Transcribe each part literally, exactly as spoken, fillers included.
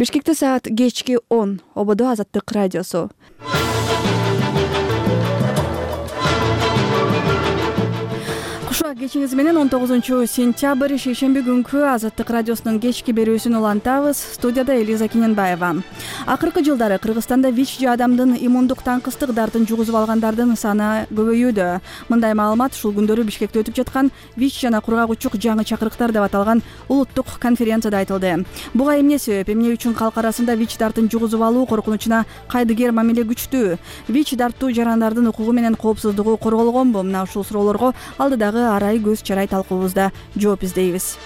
Бишкекте саат кечки он. Ободо Азаттык радиосу. Кушуак кечиңиз менен он тогузунчу сентябрь шейшемби күнкү Азаттык радиосунун кечки берүүсүн улантабыз. Студияда Элиза Кененбаева. Акыркы жылдары Кыргызстанда ВИЧ же адамдын иммундук таңкыстык дартын жугузуп алгандардын саны көбөйүүдө. Мындай маалымат ушул күндөрү Бишкекте өтүп жаткан ВИЧ жана кургак-учук жаңы чакырыктар деп аталган улуттук конференцияда айтылды. Буга эмне себеп? Эмне үчүн калк арасында ВИЧ дартын жугузуп алуу коркунучуна кайдыгер мамиле күчтүү? ВИЧ дартуу жарандардын укугу менен коопсуздугу корголгонбу? Мына ушул суроолорго алдыдагы арай көз чарай талкуубузда жооп издейбиз.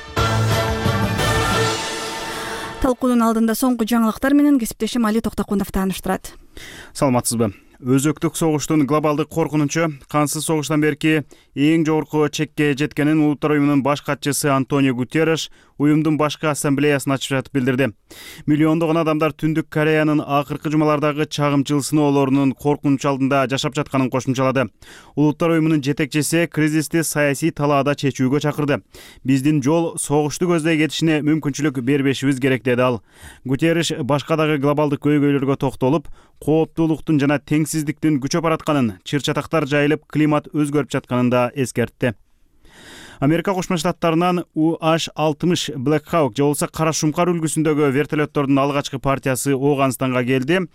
Талкуунун алдында соңку жаңылыктар менен кесиптешим Али Токтокунов тааныштырат. Саламатсызбы? Өзөктүк согуштун глобалдык коркунучу кансыз согуштан берки эң жогорку чекке жеткенин Улуттар уюмунун баш катчысы Антонио Гутерриш уюмдун башкы ассамблеясын ачып жатып билдирди. Миллиондогон адамдар Түндүк Кореянын акыркы жумалардагы чагымчыл сыноолорунун коркунуч алдында жашап жатканын кошумчалады. Улуттар уюмунун жетекчиси кризисти саясий талаада чечүүгө чакырды. Биздин жол согушту көздөй кетишине мүмкүнчүлүк бербешибиз керек деди ал. Гутерриш башка дагы глобалдык көйгөйлөргө токтолуп, кооптуулуктун жана теңсиздиктин күчөп баратканын, чыр-чатактар жайылып, климат өзгөрүп жатканын да эскертти. Америка Кошмо Штаттарынан У H алтымыш Black Hawk же болбосо кара шумкар үлгүсүндөгү вертолеттордун алгачкы партиясы Ооганстанга келди.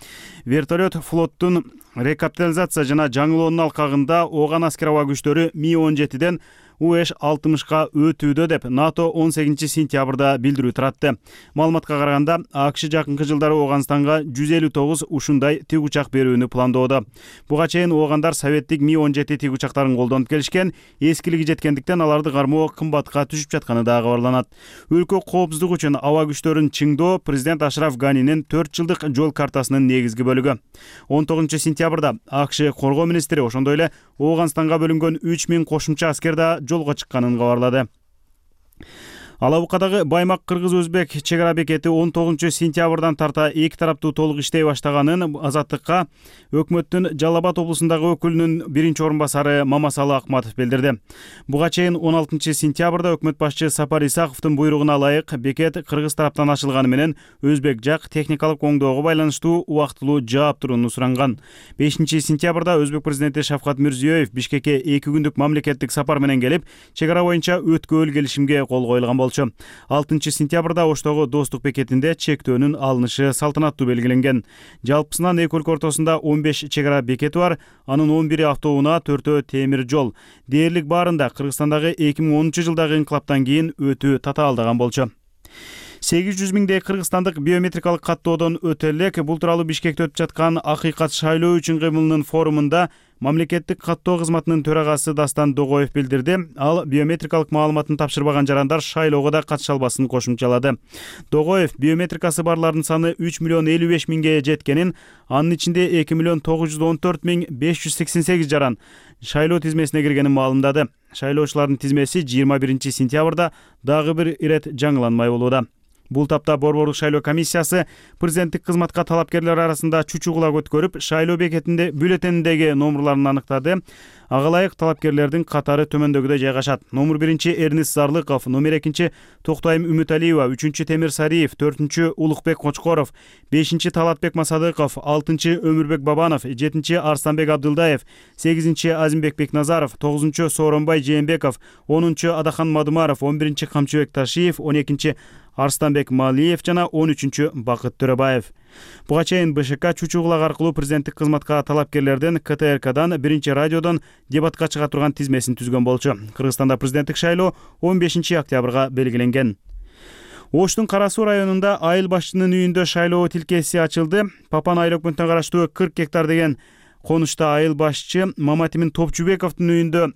Вертолет флоттун рекапитализация жана жаңылоонун алкагында Ооган аскер аба күчтөрү Ми он жетиден У H алтымышка өтүүдө деп НАТО он сегизинчи сентябрда билдирүү таратты. Маалыматка караганда, АКШ жакынкы жылдары Ооганстанга жүз элүү тогуз ушундай тик учак берүүнү пландоодо. Буга чейин оогандар советтик Ми он жети тик учактарын колдонуп келишкен, эскилиги жеткендиктен аларды кармоо кымбатка түшүп жатканы да кабарланат. Өлкө коопсуздугу үчүн аба күчтөрүн чыңдоо президент Ашраф Ганинин төрт жылдык жол картасынын негизги бөлүгү. он тогузунчу сентябрда АКШ коргоо министри ошондой эле Ооганстанга бөлүнгөн үч миң кошумча аскер да жолго чыкканын кабарлады. Алабукадагы Баймак-Кыргыз-Өзбек чек ара бекети он тогузунчу сентябрдан тарта эки тараптуу толук иштей баштаганын Азаттыкка өкмөттүн Жалал Абад облусундагы өкүлүнүн биринчи орун басары Мамасалы Акматов билдирди. Буга чейин он алтынчы сентябрда өкмөт башчы Сапар Исаковдун буйругуна ылайык бекет кыргыз тараптан ачылганы менен өзбек жак техникалык оңдоого байланыштуу убактылуу жаап турууну суранган. бешинчи сентябрда өзбек президенти Шавкат Мирзиёев Бишкекке эки күндүк мамлекеттик сапар менен келип, чек ара боюнча өткөөл келишимге кол коюлган болчу. алтынчы сентябрда Оштогу Достук бекетинде чектөөнүн алынышы салтанаттуу белгиленген. Жалпысынан эки өлкө ортосунда он беш чек ара бекети бар, анын он бири автоунаа, төртөө темир жол. Дээрлик баарында Кыргызстандагы эки миң онунчу жылдагы инкылаптан кийин өтүү татаалдаган болчу. сегиз жүз миңдей кыргызстандык биометрикалык каттоодон өтө элек. Бул тууралуу Бишкекте өтүп жаткан Акыйкат шайлоо үчүн кыймылынын форумунда мамлекеттик каттоо кызматынын төрагасы Дастан Догоев билдирди. Ал биометрикалык маалыматын тапшырбаган жарандар шайлоого да катыша албасын кошумчалады. Догоев биометрикасы барлардын саны үч миллион элүү беш миңге жеткенин, анын ичинде эки миллион тогуз жүз он төрт миң беш жүз сексен сегиз жаран шайлоо тизмесине киргенин маалымдады. Шайлоочулардын тизмеси жыйырма биринчи сентябрда дагы бир ирет жаңыланмай болууда. Бул тапта Борбордук шайлоо комиссиясы президенттик кызматка талапкерлер арасында чучугула өткөрүп, шайлоо бекетинде бюллетендеги номерларын аныктады. Ага ылайык талапкерлердин катары төмөндөгүдөй жайгашат. Номер биринчи Эрнис Зарлыков, номер экинчи Токтайым Үмүталиева, үчүнчү Темир Сариев, төртүнчү Улукбек Кочкоров, бешинчи Талатбек Масадыков, алтынчы Өмүрбек Бабанов, жетинчи Арстанбек Абдылдаев, сегизинчи Азимбек Бекназаров, тогузунчу Сооронбай Жээнбеков, онунчу Адахан Мадумаров, он биринчи Камчыбек Ташиев, он экинчи Арстанбек Малиев жана он үчүнчү Бакыт Төрөбаев. Буга чейин БШК чучугулак аркылуу президенттик кызматка талапкерлерден К Т Р Кдан, биринчи радиодон дебатка чыга турган тизмесин түзгөн болчу. Кыргызстанда президенттик шайлоо он бешинчи октябрга белгиленген. Оштун Кара Суу районунда айыл башчынын үйүндө шайлоо тилкеси ачылды. Папан айыл өкмөтүнө караштуу кырк гектар деген конушта айыл башчы Маматимин Топчубековдун үйүндө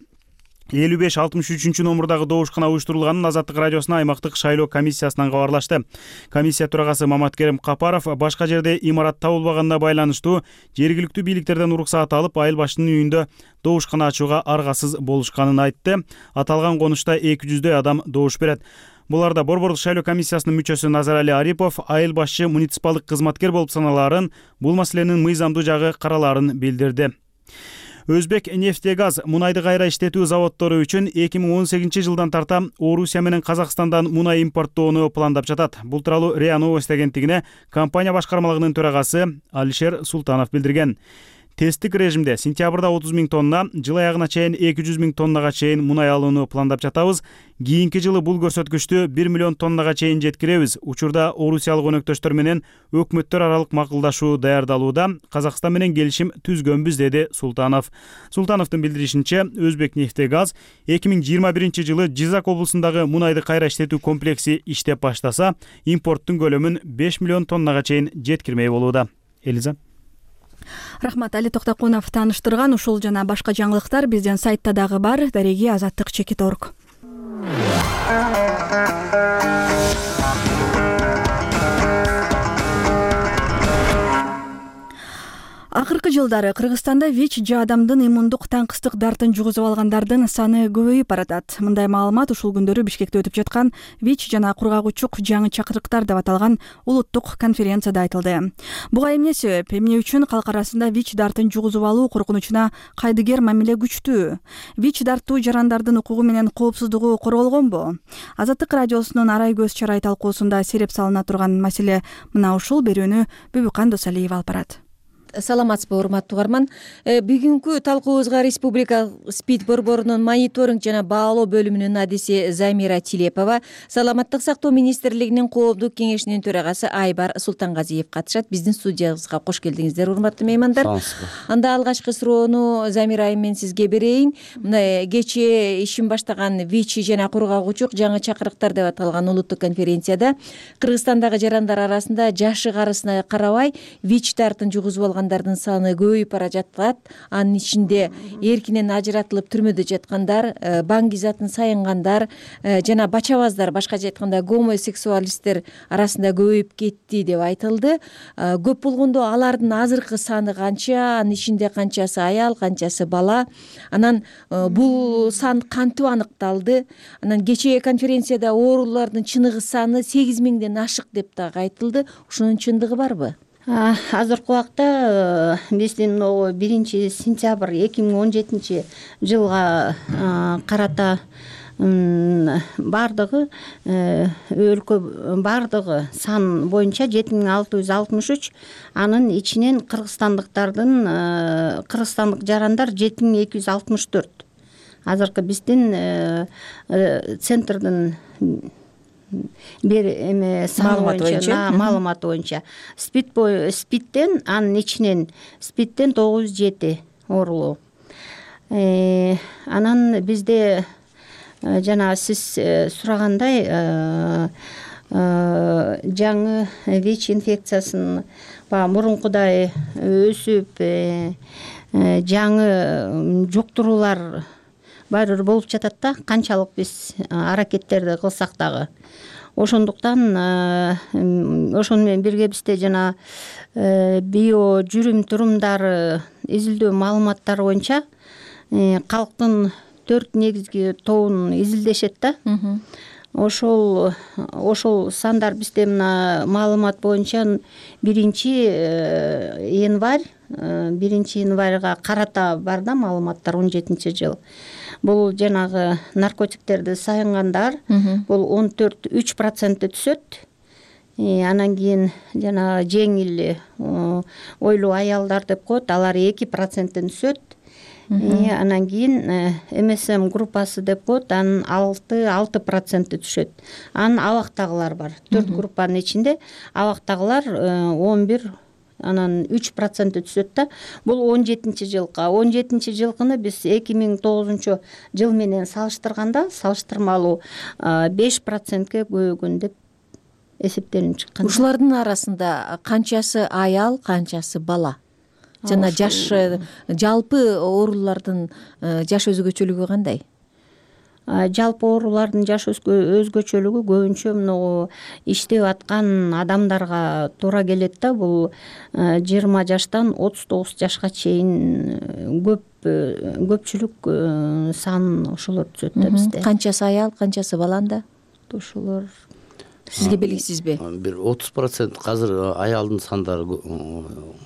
элүү беш алтымыш үчүнчү номурдагы добушкана уюштурулганын Азаттык радиосуна аймактык шайлоо комиссиясынан кабарлашты. Комиссия төрагасы Маматкерим Капаров башка жерде имарат табылбаганына байланыштуу жергиликтүү бийликтерден уруксаат алып, айыл башчынын үйүндө добушкана ачууга аргасыз болушканын айтты. Аталган конушта эки жүздөй адам добуш берет. Буларда Борбордук шайлоо комиссиясынын мүчөсү Назарали Арипов айыл башчы муниципалдык кызматкер болуп саналарын, бул маселенин мыйзамдуу жагы караларын билдирди. Өзбек нефтегаз мунайды кайра иштетүү заводдору үчүн эки миң он сегизинчи жылдан тарта Орусия менен Казакстандан мунай импорттоону пландап жатат. Бул тууралуу РИА Новости агенттигине компания башкармалыгынын төрагасы Алишер Султанов билдирген. Тесттик режимде сентябрда отуз миң тонна, жыл аягына чейин эки жүз миң тоннага чейин мунай алууну пландап жатабыз. Кийинки жылы бул көрсөткүчтү бир миллион тоннага чейин жеткиребиз. Учурда орусиялык өнөктөштөр менен өкмөттөр аралык макулдашуу даярдалууда. Казакстан менен келишим түзгөнбүз, деди Султанов. Султановдун билдиришинче, Өзбек нефтегаз эки миң жыйырма биринчи жылы Жизак облусундагы мунайды кайра иштетүү комплекси иштеп баштаса, импорттун көлөмүн беш миллион тоннага чейин жеткирмей болууда. Элиза. Рахмат. Али Токтокунов тааныштырган. Ушул жана башка жаңылыктар биздин сайтта дагы бар. Дареги азаттык чекит точка орг. Акыркы жылдары Кыргызстанда ВИЧ же адамдын иммундук таңкыстык дартын жугузуп алгандардын саны көбөйүп баратат. Мындай маалымат ушул күндөрү Бишкекте өтүп жаткан ВИЧ жана кургагучук жаңы чакырыктар деп аталган улуттук конференцияда айтылды. Буга эмне себеп? Эмне үчүн калк арасында ВИЧ дартын жугузуп алуу коркунучуна кайдыгер мамиле күчтүү? ВИЧ дартуу жарандардын укугу менен коопсуздугу корголгонбу? Азаттык радиосунун Арай көз чарай талкуусунда сереп салына турган маселе мына ушул. Берүүнү Бүбүкан Досалиев алып барат. Саламатсызбы, урматтуу угарман. Бүгүнкү талкуубузга Республика СПИД борборунун мониторинг жана баалоо бөлүмүнүн адиси Замира Тилепова, Саламаттык сактоо министрлигинин коомдук кеңешинин төрагасы Айбар Султангазиев катышат. Биздин студиябызга кош келдиңиздер, урматтуу меймандар. Анда алгачкы суроону Замира айым мен сизге берейин. Мына кечээ ишин баштаган ВИЧ жана кургагучук жаңы чакырыктар деп аталган улуттук конференцияда Кыргызстандагы жарандар арасында жашы карысына карабай ВИЧ дартын жугузуп алган саны көбөйүп бара жатат. Анын ичинде эркинен ажыратылып түрмөдө жаткандар, баңгизатын саянгандар жана бачабаздар, башкача айтканда гомосексуалисттер арасында көбөйүп кетти деп айтылды. Көп болгондо алардын азыркы саны канча, анын ичинде канчасы аял, канчасы бала? Анан бул сан кантип аныкталды? Анан кечээ конференцияда оорулардын чыныгы саны сегиз миңден ашык деп дагы айтылды. Ушунун чындыгы барбы? Азыркы убакта биздин биринчи сентябрь эки миң он жетинчи жылга карата бардыгы өлкө бардыгы сан боюнча жети миң алты жүз алтымыш үч, анын ичинен кыргызстандыктардын кыргызстандык жарандар жети миң эки жүз алтымыш төрт. Азыркы биздин центрдин бир эме маалыматы боюнча маалыматы боюнча СПИД СПИДтен анын ичинен СПИДтен тогуз жүз жети оорулуу. Анан бизде жана сиз сурагандай жаңы ВИЧ инфекциясын баягы мурункудай өсүп жаңы жуктуруулар баары болуп жатат да, канчалык биз аракеттерди кылсак дагы. Ошондуктан ошону менен бирге бизде жана био жүрүм турумдары изилдөө маалыматтары боюнча калктын төрт негизги тобун изилдешет да. Ошол ошол сандар бизде мына маалымат боюнча биринчи январь биринчи январга карата бар да маалыматтар, он жетинчи жыл. Бул жанагы наркотиктерди саянгандар бул он төрт үч процентте түшөт. Анан кийин жана жеңил ойлуу аялдар деп коет, алар эки проценттен түшөт. Анан кийин МСМ группасы деп коет, анын алты алты процентте түшөт. Анан абактагылар бар. төрт группанын ичинде абактагылар он бир, анан үч процентте түшөт да. Бул он жетинчи жылкы. он жетинчи жылкыны биз эки миң тогузунчу жыл менен салыштырганда салыштырмалуу беш процентке көбөйгөн деп эсептелип чыккан. Ушулардын арасында канчасы аял, канчасы бала? Жана жаш, жалпы оорулардын жаш өзгөчөлүгү кандай? Жалпы оорулардын жаш өзгөчөлүгү көбүнчө мына иштеп аткан адамдарга туура келет да. Бул жыйырма жаштан отуз тогуз жашка чейин көп көпчүлүк сан ошолор түшөт да бизде. Канчасы аял, канчасы баланда? Ошолор сизге белгисизби? Бир отуз процент азыр аялдын сандары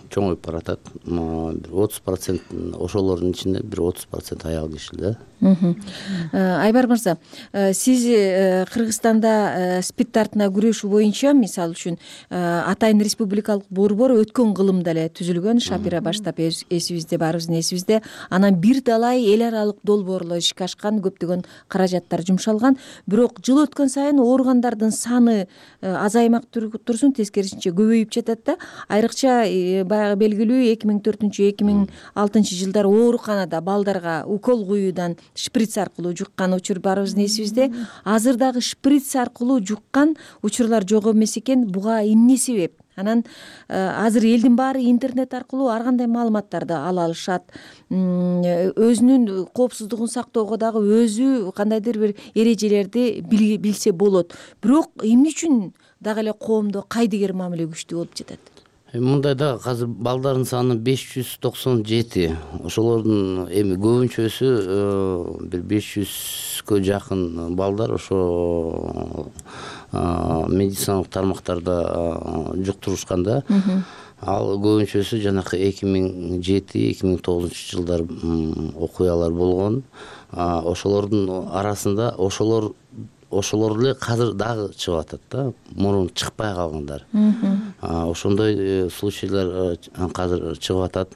чоңоюп баратат. Бир отуз процент ошолордун ичинде бир отуз процент аял киши да. Айбар мырза, сиз Кыргызстанда спид тартына күрөшүү боюнча, мисалы үчүн, Атайын республикалык борбор өткөн кылымда эле түзүлгөн, Шапира баштап эсибизде, баарыбыздын эсибизде. Анан бир далай эл аралык долбоорлор ишке ашкан, көптөгөн каражаттар жумшалган. Бирок жыл өткөн сайын ооругандардын саны азаймак турсун, тескерисинче көбөйүп жатат да. Айрыкча баягы белгилүү эки миң төртүнчү эки миң алтынчы жылдары ооруканада балдарга укол куюудан шприц аркылуу жуккан учур баарыбыздын эсибизде. Азыр дагы шприц аркылуу жуккан учурлар жок эмес экен. Буга эмне себеп? Анан азыр элдин баары интернет аркылуу ар кандай маалыматтарды ала алышат. Өзүнүн коопсуздугун сактоого дагы өзү кандайдыр бир эрежелерди билсе болот. Бирок эмне үчүн дагы эле коомдо кайдыгер мамиле күчтүү болуп жатат? Мындай да, азыр балдардын саны беш жүз токсон жети. Ошолордун эми көбүнчөсү бир беш жүзгө жакын балдар ошо медициналык тармактарда жуктурушкан да. Ал көбүнчөсү жанакы эки миң жети эки миң тогузунчу жылдар окуялар болгон. Ошолордун арасында ошолор ошолор эле азыр дагы чыгып атат да, мурун чыкпай калгандар. Ошондой случайлар азыр чыгып атат.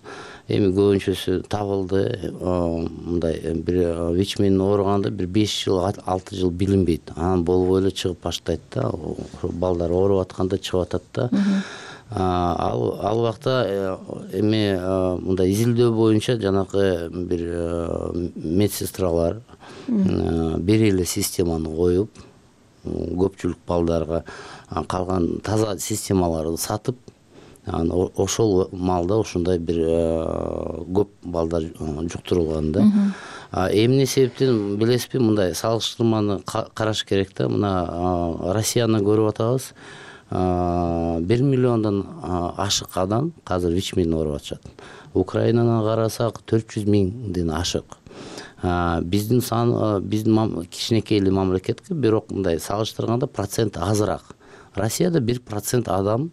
Эми көбүнчөсү табылды. Мындай бир ВИЧ менен ооруганда бир беш жыл, алты жыл билинбейт. Анан болбой эле чыгып баштайт да. Балдар ооруп атканда чыгып атат да. Ал ал убакта эми мындай изилдөө боюнча жанакы бир медсестралар бир эле системаны коюп, көпчүлүк балдарга калган таза системаларды сатып, ошол маалда ошондой бир көп балдар жуктурулган да. Эмне себептен билесизби? Мындай салыштырманы караш керек да. Мына Россияны көрүп атабыз. бир миллиондон ашык адам азыр ВИЧ менен ооруп атышат. Украинаны карасак төрт жүз миңден ашык. Биздин сан биздин кичинекей эле мамлекетке, бирок мындай салыштырганда процент азыраак. Россияда бир процент адам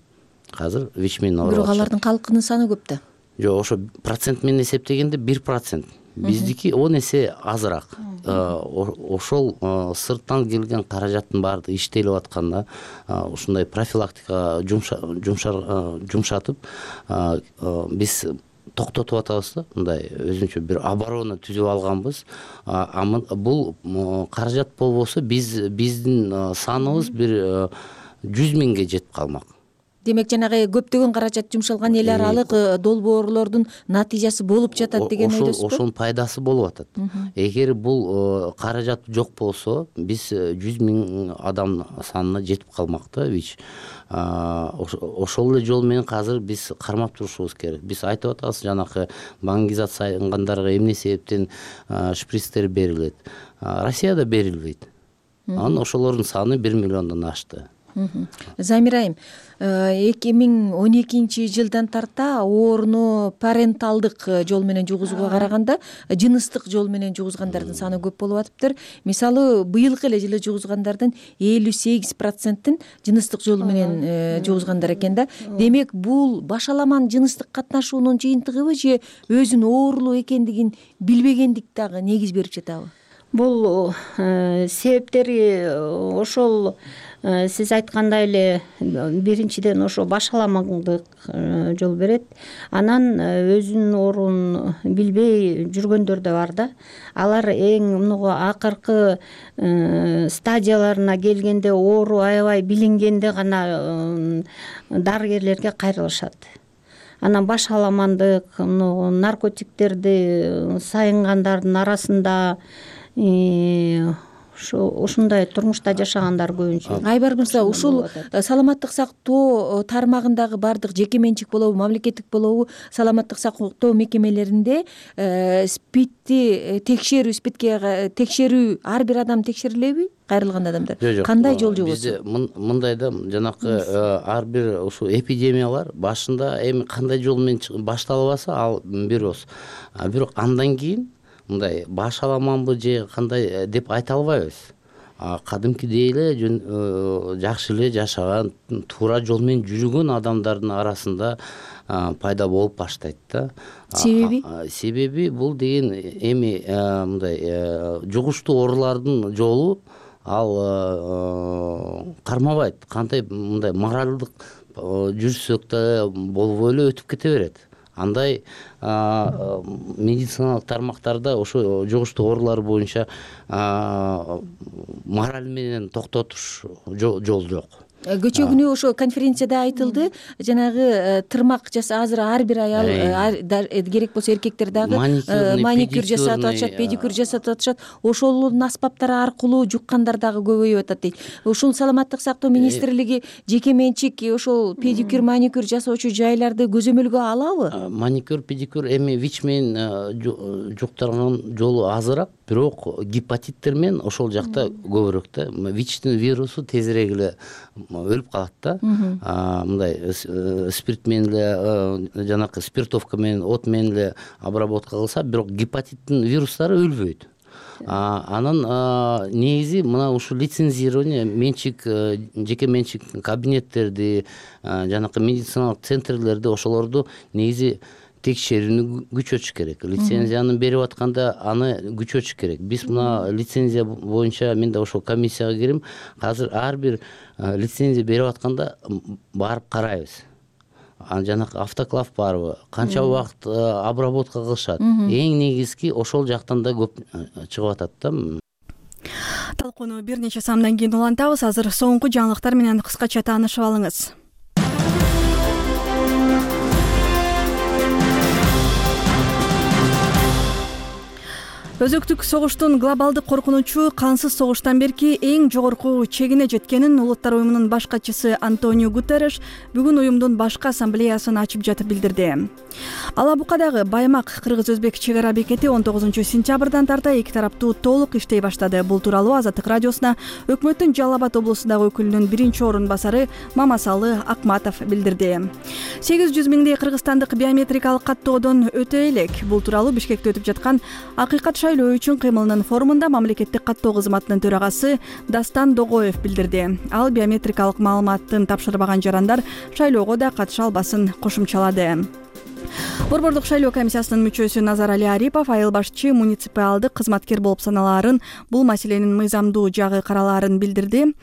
азыр ВИЧ менен ооруп атышат. Бирок алардын калкынын саны көп да. Жок, ошо процент менен эсептегенде бир процент. Биздики он эсе азыраак. Ошол сырттан келген каражаттын баары иштелип атканда, ушундай профилактика жумшатып биз токтотуп атабыз да. Мындай өзүнчө бир оборона түзүп алганбыз. Бул каражат болбосо биз биздин саныбыз бир жүз миңге жетип калмак. Демек, жанагы көптөгөн каражат жумшалган эл аралык долбоорлордун натыйжасы болуп жатат деген ойдосузбу? Ошонун пайдасы болуп атат. Эгер бул каражат жок болсо, биз жүз миң адам санына жетип калмак да ВИЧ. Ошол эле жол менен азыр биз кармап турушубуз керек. Биз айтып атабыз, жанакы баңгизациянгандарга эмне себептен шприцтер берилет. Россияда берилбейт. Анан ошолордун саны бир миллиондон ашты. Замира айым, эки миң он экинчи жылдан тарта ооруну паренталдык жол менен жугузууга караганда жыныстык жол менен жугузгандардын саны көп болуп атыптыр. Мисалы, быйылкы эле жылы жугузгандардын элүү сегиз процентин жыныстык жол менен жугузгандар экен да. Демек, бул башаламан жыныстык катнашуунун жыйынтыгыбы же өзүнүн оорулуу экендигин билбегендик дагы негиз берип жатабы? Бул себептери ошол сиз айткандай эле биринчиден ошо башаламандык жол берет. Анан өзүнүн оорун билбей жүргөндөр да бар да. Алар эң муну акыркы стадияларына келгенде, оору аябай билингенде гана дарыгерлерге кайрылышат. Анан башаламандык, наркотиктерди сайынгандардын арасында ушундай турмушта жашагандар көбүнчө. Айбар мырза, ушул саламаттык сактоо тармагындагы бардык жеке менчик болобу, мамлекеттик болобу, саламаттык сактоо мекемелеринде спидти текшерүү, спидке текшерүү ар бир адам текшерилеби? Кайрылган адамдар кандай жол жобосу? Бизде мындай да, жанакы ар бир ушул эпидемиялар башында эми кандай жол менен башталбаса ал бирос. Бирок андан кийин мындай башаламанбы же кандай деп айта албайбыз. кадимкидей эле жакшы эле жашаган, туура жол менен жүргөн адамдардын арасында пайда болуп баштайт да. Себеби? Себеби бул деген эми мындай жугуштуу оорулардын жолу ал кармабайт. Кандай мындай моралдык жүрсөк да болбой эле өтүп кете берет. Андай медициналык тармактарда ошо жугуштуу оорулар боюнча мораль менен токтотуш жол жок. Кечээ күнү ошо конференцияда айтылды, жанагы тырмак жаса азыр ар бир аял керек болсо эркектер дагы маникюр жасатып атышат, педикюр жасатып атышат. Ошолордун аспаптары аркылуу жуккандар дагы көбөйүп атат дейт. Ушул саламаттык сактоо министрлиги жеке менчик ошол педикюр, маникюр жасоочу жайларды көзөмөлгө алабы? Маникюр, педикюр эми ВИЧ менен жуктурган жолу азыраак, бирок гепатиттер менен ошол жакта көбүрөөк да. ВИЧтин вирусу тезирээк эле өлүп калат да. Мындай спирт менен эле, жанакы спиртовка менен, от менен эле обработка кылса, бирок гепатиттин вирустары өлбөйт. Анан негизи мына ушул лицензирование менчик, жеке менчик кабинеттерди, жанакы медициналык центрлерди, ошолорду негизи текшерүүнү күчөтүш керек. Лицензияны берип атканда аны күчөтүш керек. Биз мына лицензия боюнча мен да ошол комиссияга кирим. Азыр ар бир лицензия берип атканда барып карайбыз. Жанакы автоклав барбы, канча убакыт обработка кылышат. Эң негизги ошол жактан да көп чыгып атат да. Талкууну бир нече самдан кийин улантабыз. Азыр соңку жаңылыктар менен кыскача таанышып алыңыз. Өзөктүк согуштун глобалдык коркунучу кансыз согуштан берки эң жогорку чегине жеткенин Улуттар уюмунун баш катчысы Антонио Гутерреш бүгүн уюмдун башкы ассамблеясын ачып жатып билдирди. Алабукадагы Баймак кыргыз-өзбек чек ара бекети он тогузунчу сентябрдан тарта эки тараптуу толук иштей баштады. Бул тууралуу Азаттык радиосуна өкмөттүн Жалал Абад облусундагы өкүлүнүн биринчи орун басары Мамасалы Акматов билдирди. сегиз жүз миңдей кыргызстандык биометрикалык каттоодон өтө элек. Бул тууралуу Бишкекте өтүп жаткан Акыйкат шайлоо үчүн кыймылынын форумунда мамлекеттик каттоо кызматынын төрагасы Дастан Догоев билдирди. Ал биометрикалык маалыматтын тапшырбаган жарандар шайлоого да катыша албасын кошумчалады. Борбордук шайлоо комиссиясынын мүчөсү Назарали Арипов айыл башчы муниципалдык кызматкер болуп саналаарын бул маселенин мыйзамдуу жагы каралаарын билдирди.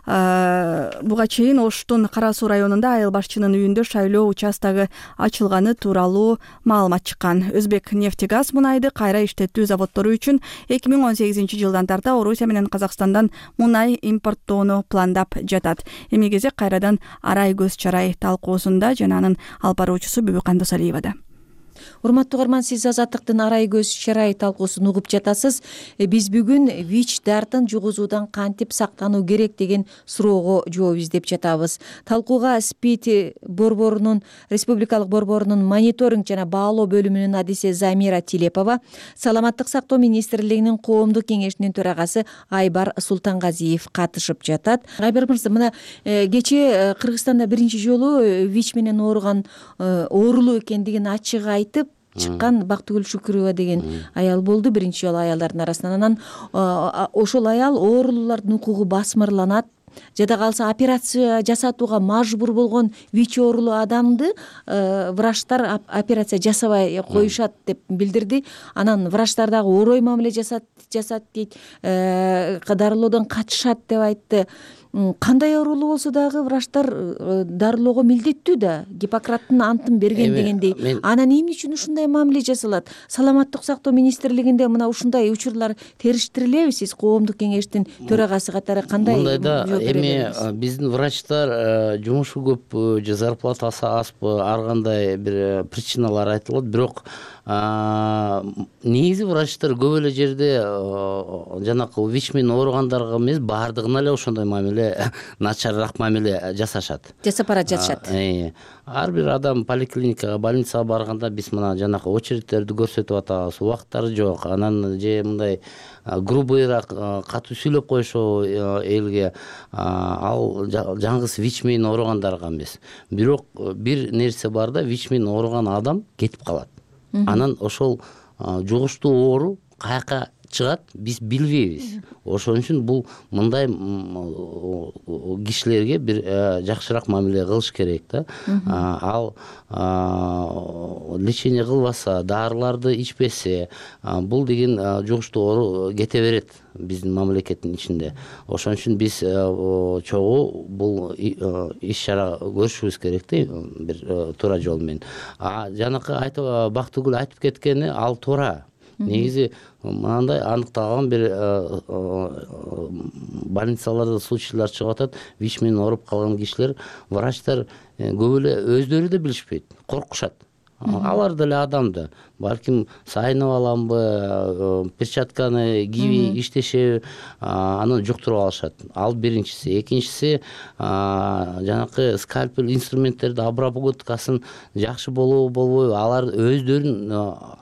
Буга чейин Оштун Кара Суу районунда айыл башчынын үйүндө шайлоо участогу ачылганы тууралуу маалымат чыккан. Өзбек нефтегаз мунайды кайра иштетүү заводдору үчүн эки миң он сегизинчи жылдан тарта Орусия менен Казакстандан мунай импорттоону пландап жатат. Эми кезек кайрадан арай көз чарай талкуусунда жана анын алып баруучусу Бүбүкан Досалиевада. Урматтуу угарман, сиз Азаттыктын арай көз чарай талкуусун угуп жатасыз. Биз бүгүн ВИЧ дартын жугузуудан кантип сактануу керек деген суроого жооп издеп жатабыз. Талкууга СПИД борборунун, республикалык борборунун мониторинг жана баалоо бөлүмүнүн адиси Замира Тилепова, Саламаттык сактоо министрлигинин коомдук кеңешинин төрагасы Айбар Султангазиев катышып жатат. Айбар мырза, мына кечээ Кыргызстанда биринчи жолу ВИЧ менен ооруган оорулуу экендигин ачык айтып чыккан Бактыгүл Шүкүрова деген аял болду, биринчи жолу аялдардын арасынан. Анан ошол аял оорулуулардын укугу басмырланат, жада калса операция жасатууга мажбур болгон ВИЧ оорулуу адамды врачтар операция жасабай коюшат деп билдирди. Анан врачтар дагы орой мамиле жасат жасат дейт, дарылоодон качышат деп айтты. Кандай оорулуу болсо дагы врачтар дарылоого милдеттүү да, Гиппократтын антын берген дегендей. Анан эмне үчүн ушундай мамиле жасалат? Саламаттык сактоо министрлигинде мына ушундай учурлар териштирилеби? Сиз коомдук кеңештин төрагасы катары кандай? Мындай да, эми биздин врачтар жумушу көп, же зарплатасы азбы, ар кандай бир причиналар айтылат, бирок негизи врачтар көп эле жерде жанакы ВИЧ менен ооругандарга эмес, баардыгына эле ошондой мамиле, начарыраак мамиле жасашат. Жасап бара жатышат. Ар бир адам поликлиникага, больницага барганда биз мына жанакы очередтерди көрсөтүп атабыз, убакыттары жок. Анан же мындай грубыйраак катуу сүйлөп коюшобу элге, ал жаңгыз ВИЧ менен ооругандарга эмес. Бирок бир нерсе бар да, ВИЧ менен ооруган адам кетип калат. Анан ошол жугуштуу оору каяка чыгат, биз билбейбиз. Ошон үчүн бул мындай кишилерге бир жакшыраак мамиле кылыш керек да. Ал лечение кылбаса, дарыларды ичпесе, бул деген жугуштуу оору кете берет биздин мамлекеттин ичинде. Ошон үчүн биз чогуу бул иш чара көрүшүбүз керек да, бир туура жол менен. А жанакы айтып Бактыгүл айтып кеткени ал туура. Негизи мынандай аныкталган бир больницаларда случайлар чыгып атат. ВИЧ менен ооруп калган кишилер, врачтар көп эле өздөрү да билишпейт, коркушат. Алар деле адам да. Балким сайынып аламбы, перчатканы кийбей иштешеби, аны жуктуруп алышат. Ал биринчиси. Экинчиси, жанакы скальпель инструменттерди обработкасын жакшы болобу, болбойбу, алар өздөрүнүн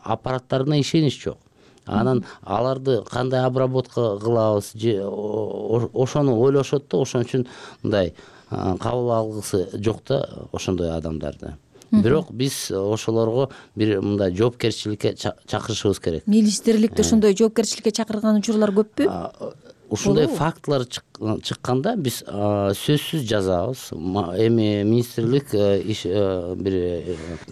аппараттарына ишенич жок. Анан аларды кандай обработка кылабыз, ошону ойлошот да, ошон үчүн мындай кабыл алгысы жок да ошондой адамдарды. Бирок биз ошолорго бир мындай жоопкерчиликке чакырышыбыз керек. Министрликте ошондой жоопкерчиликке чакырган учурлар көппү? Ушундай фактылар чыкканда биз сөзсүз жазабыз. Эми министрлик бир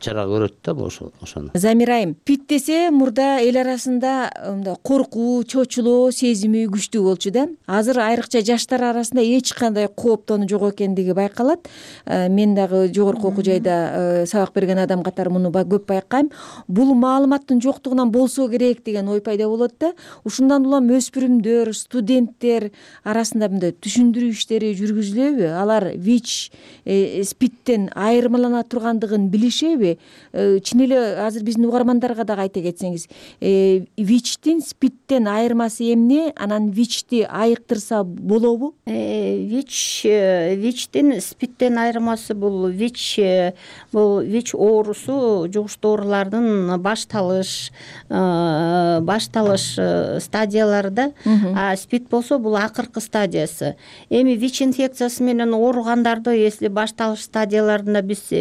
чара көрөт да ошону. Замира айым, СПИД десе мурда эл арасында мындай коркуу, чочулоо сезими күчтүү болчу да. Азыр айрыкча жаштар арасында эч кандай кооптонуу жок экендиги байкалат. Мен дагы жогорку окуу жайда сабак берген адам катары муну көп байкайм. Бул маалыматтын жоктугунан болсо керек деген ой пайда болот да. Ушундан улам өспүрүмдөр, студенттер арасында мындай түшүндүрүү иштери жүргүзүлөбү? Алар ВИЧ, СПИДтен айырмалана тургандыгын билишеби? Чын эле азыр биздин угармандарга дагы айта кетсеңиз, ВИЧтин СПИДтен айырмасы эмне? Анан ВИЧти айыктырса болобу? ВИЧ ВИЧтин СПИДтен айырмасы бул ВИЧ бул ВИЧ оорусу жугуштуу оорулардын башталыш башталыш стадиялары да. А СПИД болсо бул акыркы стадиясы. Эми ВИЧ инфекциясы менен ооругандарды если башталыш стадияларында биз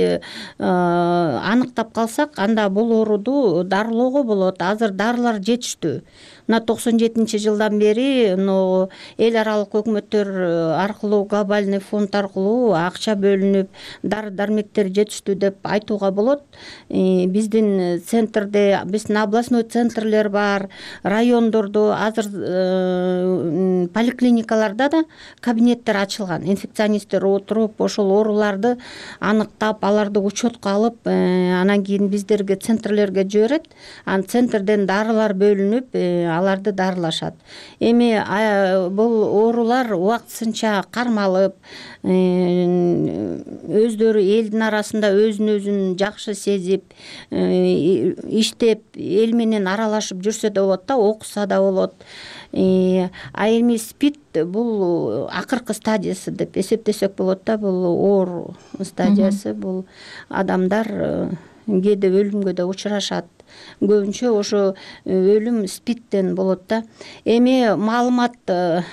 аныктап калсак, анда бул ооруду дарылоого болот. Азыр дарылар жетиштүү. Мына токсон жетинчи жылдан бери эл аралык өкмөттөр аркылуу, глобальный фонд аркылуу акча бөлүнүп, дары дармектер жетиштүү деп айтууга болот. Биздин центрде, биздин областной центрлер бар, райондордо азыр поликлиникаларда да кабинеттер ачылган. Инфекционисттер отуруп, ошол ооруларды аныктап, аларды учетко алып, анан кийин биздерге центрлерге жиберет. Анан центрден дарылар бөлүнүп, аларды дарылашат. Эми бул оорулар убактысынча кармалып, өздөрү элдин арасында өзүн өзүн жакшы сезип, иштеп, эл менен аралашып жүрсө да болот да, окуса да болот. А эми СПИД бул акыркы стадиясы деп эсептесек болот да, бул оору стадиясы. Бул адамдар кээде өлүмгө да учурашат. Көбүнчө ошо өлүм СПИДтен болот да. Эми маалымат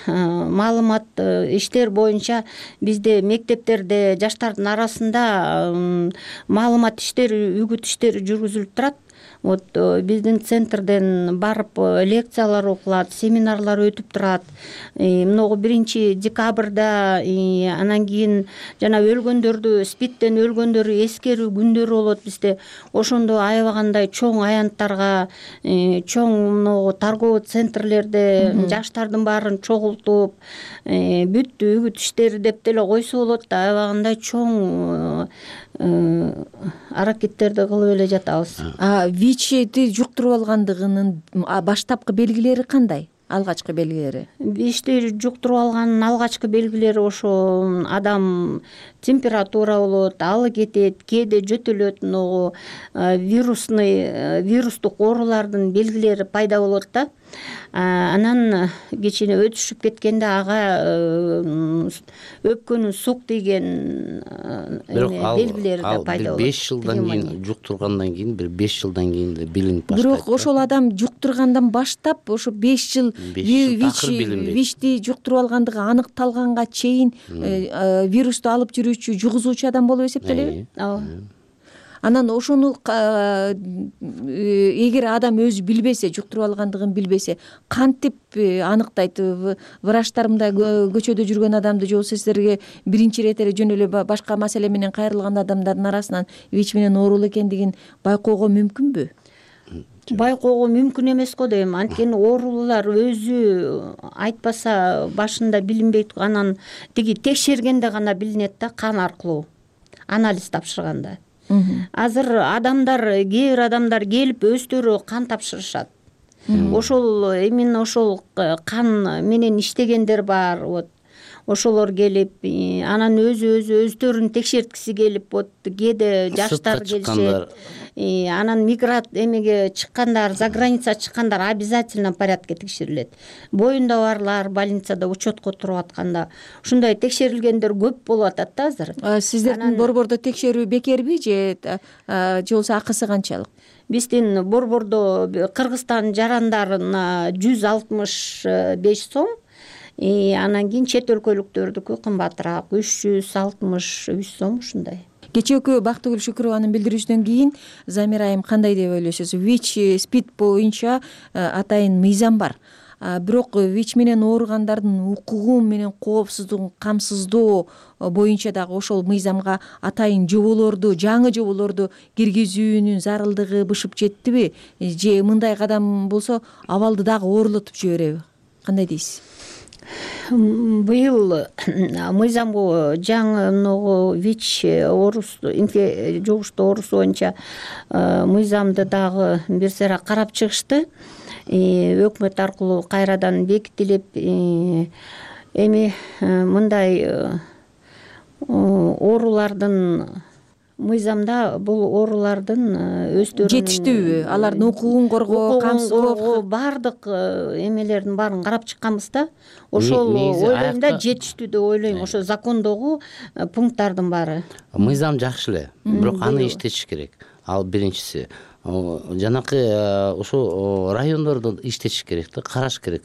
маалымат иштер боюнча бизде мектептерде жаштардын арасында маалымат иштери, үгүт иштери жүргүзүлүп турат. Вот биздин центрден барып лекциялар окулат, семинарлар өтүп турат. Могу биринчи декабрда, анан кийин жана өлгөндөрдү, СПИДтен өлгөндөрү эскерүү күндөрү болот бизде. Ошондо аябагандай чоң аянттарга, чоң могу торговый центрлерде жаштардын баарын чогултуп, бүт үгүт иштери деп деле койсо болот да, аябагандай чоң аракеттерди кылып эле жатабыз. А ВИЧти жуктуруп алгандыгынын баштапкы белгилери кандай? Алгачкы белгилери? ВИЧти жуктуруп алганын алгачкы белгилери ошо адам температура болот, алы кетет, кээде жөтөлөт, могу вирусный вирустук оорулардын белгилери пайда болот да. Анан кичине өтүшүп кеткенде ага өпкөнүн сук тийген белгилери да пайда болот. беш жылдан кийин жуктургандан кийин, бир беш жылдан кийин да билинип баштайт. Бирок ошол адам жуктургандан баштап ошо беш жыл ВИЧти жуктуруп алгандыгы аныкталганга чейин вирусту алып жүрүүчү, жугузуучу адам болуп эсептелеби? Ооба. анан ошону эгер адам өзү билбесе, жуктуруп алгандыгын билбесе, кантип аныктайт? Врачтар мындай көчөдө жүргөн адамды же болбосо сиздерге биринчи ирет эле жөн эле башка маселе менен кайрылган адамдардын арасынан ВИЧ менен оорулуу экендигин байкоого мүмкүнбү? Байкоого мүмкүн эмес го дейм. Анткени оорулуулар өзү айтпаса башында билинбейт, анан тиги текшергенде гана билинет да, кан аркылуу анализ тапшырганда. Азыр адамдар, кээ бир адамдар келип өздөрү кан тапшырышат. Ошол именно ошол кан менен иштегендер бар. Вот ошолор келип, анан өзү өзү өздөрүн текшерткиси келип, вот кээде жаштар келишет. Анан мигрант эмеге чыккандар, за граница чыккандар обязательно порядке текшерилет. Боюнда барлар больницада учетко туруп атканда ушундай текшерилгендер көп болуп атат да азыр. Сиздердин борбордо текшерүү бекерби же же болбосо акысы канчалык? Биздин борбордо Кыргызстан жарандарына жүз алтымыш беш сом, анан кийин чет өлкөлүктөрдүкү кымбатыраак үч жүз алтымыш үч сом ушундай. Кечээкү Бактыгүл Шүкүрованын билдирүүсүнөн кийин Замира айым кандай деп ойлойсуз? ВИЧ, СПИД боюнча атайын мыйзам бар. Бирок ВИЧ менен ооругандардын укугу менен коопсуздугун камсыздоо боюнча дагы ошол мыйзамга атайын жоболорду, жаңы жоболорду киргизүүнүн зарылдыгы бышып жеттиби? Же мындай кадам болсо абалды дагы оорулотуп жибереби? Кандай дейсиз? Быйыл мыйзамго жаңы ВИЧ оорусу, жугуштуу оорусу боюнча мыйзамды дагы бир сыйра карап чыгышты. Өкмөт аркылуу кайрадан бекитилип, эми мындай оорулардын мыйзамда бул оорулардын өздөрүнүн жетиштүүбү, алардын укугун коргоо, камсыздоо, баардык эмелердин баарын карап чыкканбыз да. Ошол ойлойм да, жетиштүү деп ойлойм. Ошо закондогу пункттардын баары. Мыйзам жакшы эле, бирок аны иштетиш керек. Ал биринчиси. Жанакы ошо райондордо иштетиш керек да, караш керек.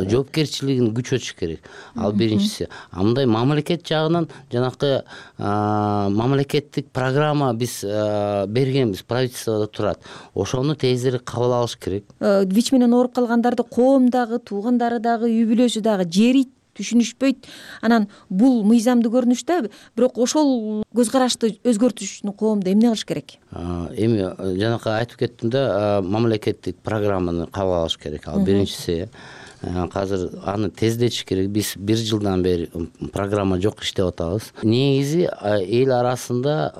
Жоопкерчилигин күчөтүш керек. Ал биринчиси. А мындай мамлекет жагынан жанакы мамлекеттик программа биз бергенбиз, правительстводо турат. Ошону тезирээк кабыл алыш керек. ВИЧ менен ооруп калгандарды коом дагы, туугандары дагы, үй бүлөсү дагы жерийт, түшүнүшпөйт. Анан бул мыйзамдуу көрүнүш да, бирок ошол көз карашты өзгөртүш үчүн коомдо эмне кылыш керек? Эми жанакы айтып кеттим да, мамлекеттик программаны кабыл алыш керек. Ал биринчиси. Азыр аны тездетиш керек. Биз бир жылдан бери программа жок иштеп атабыз. Негизи эл арасында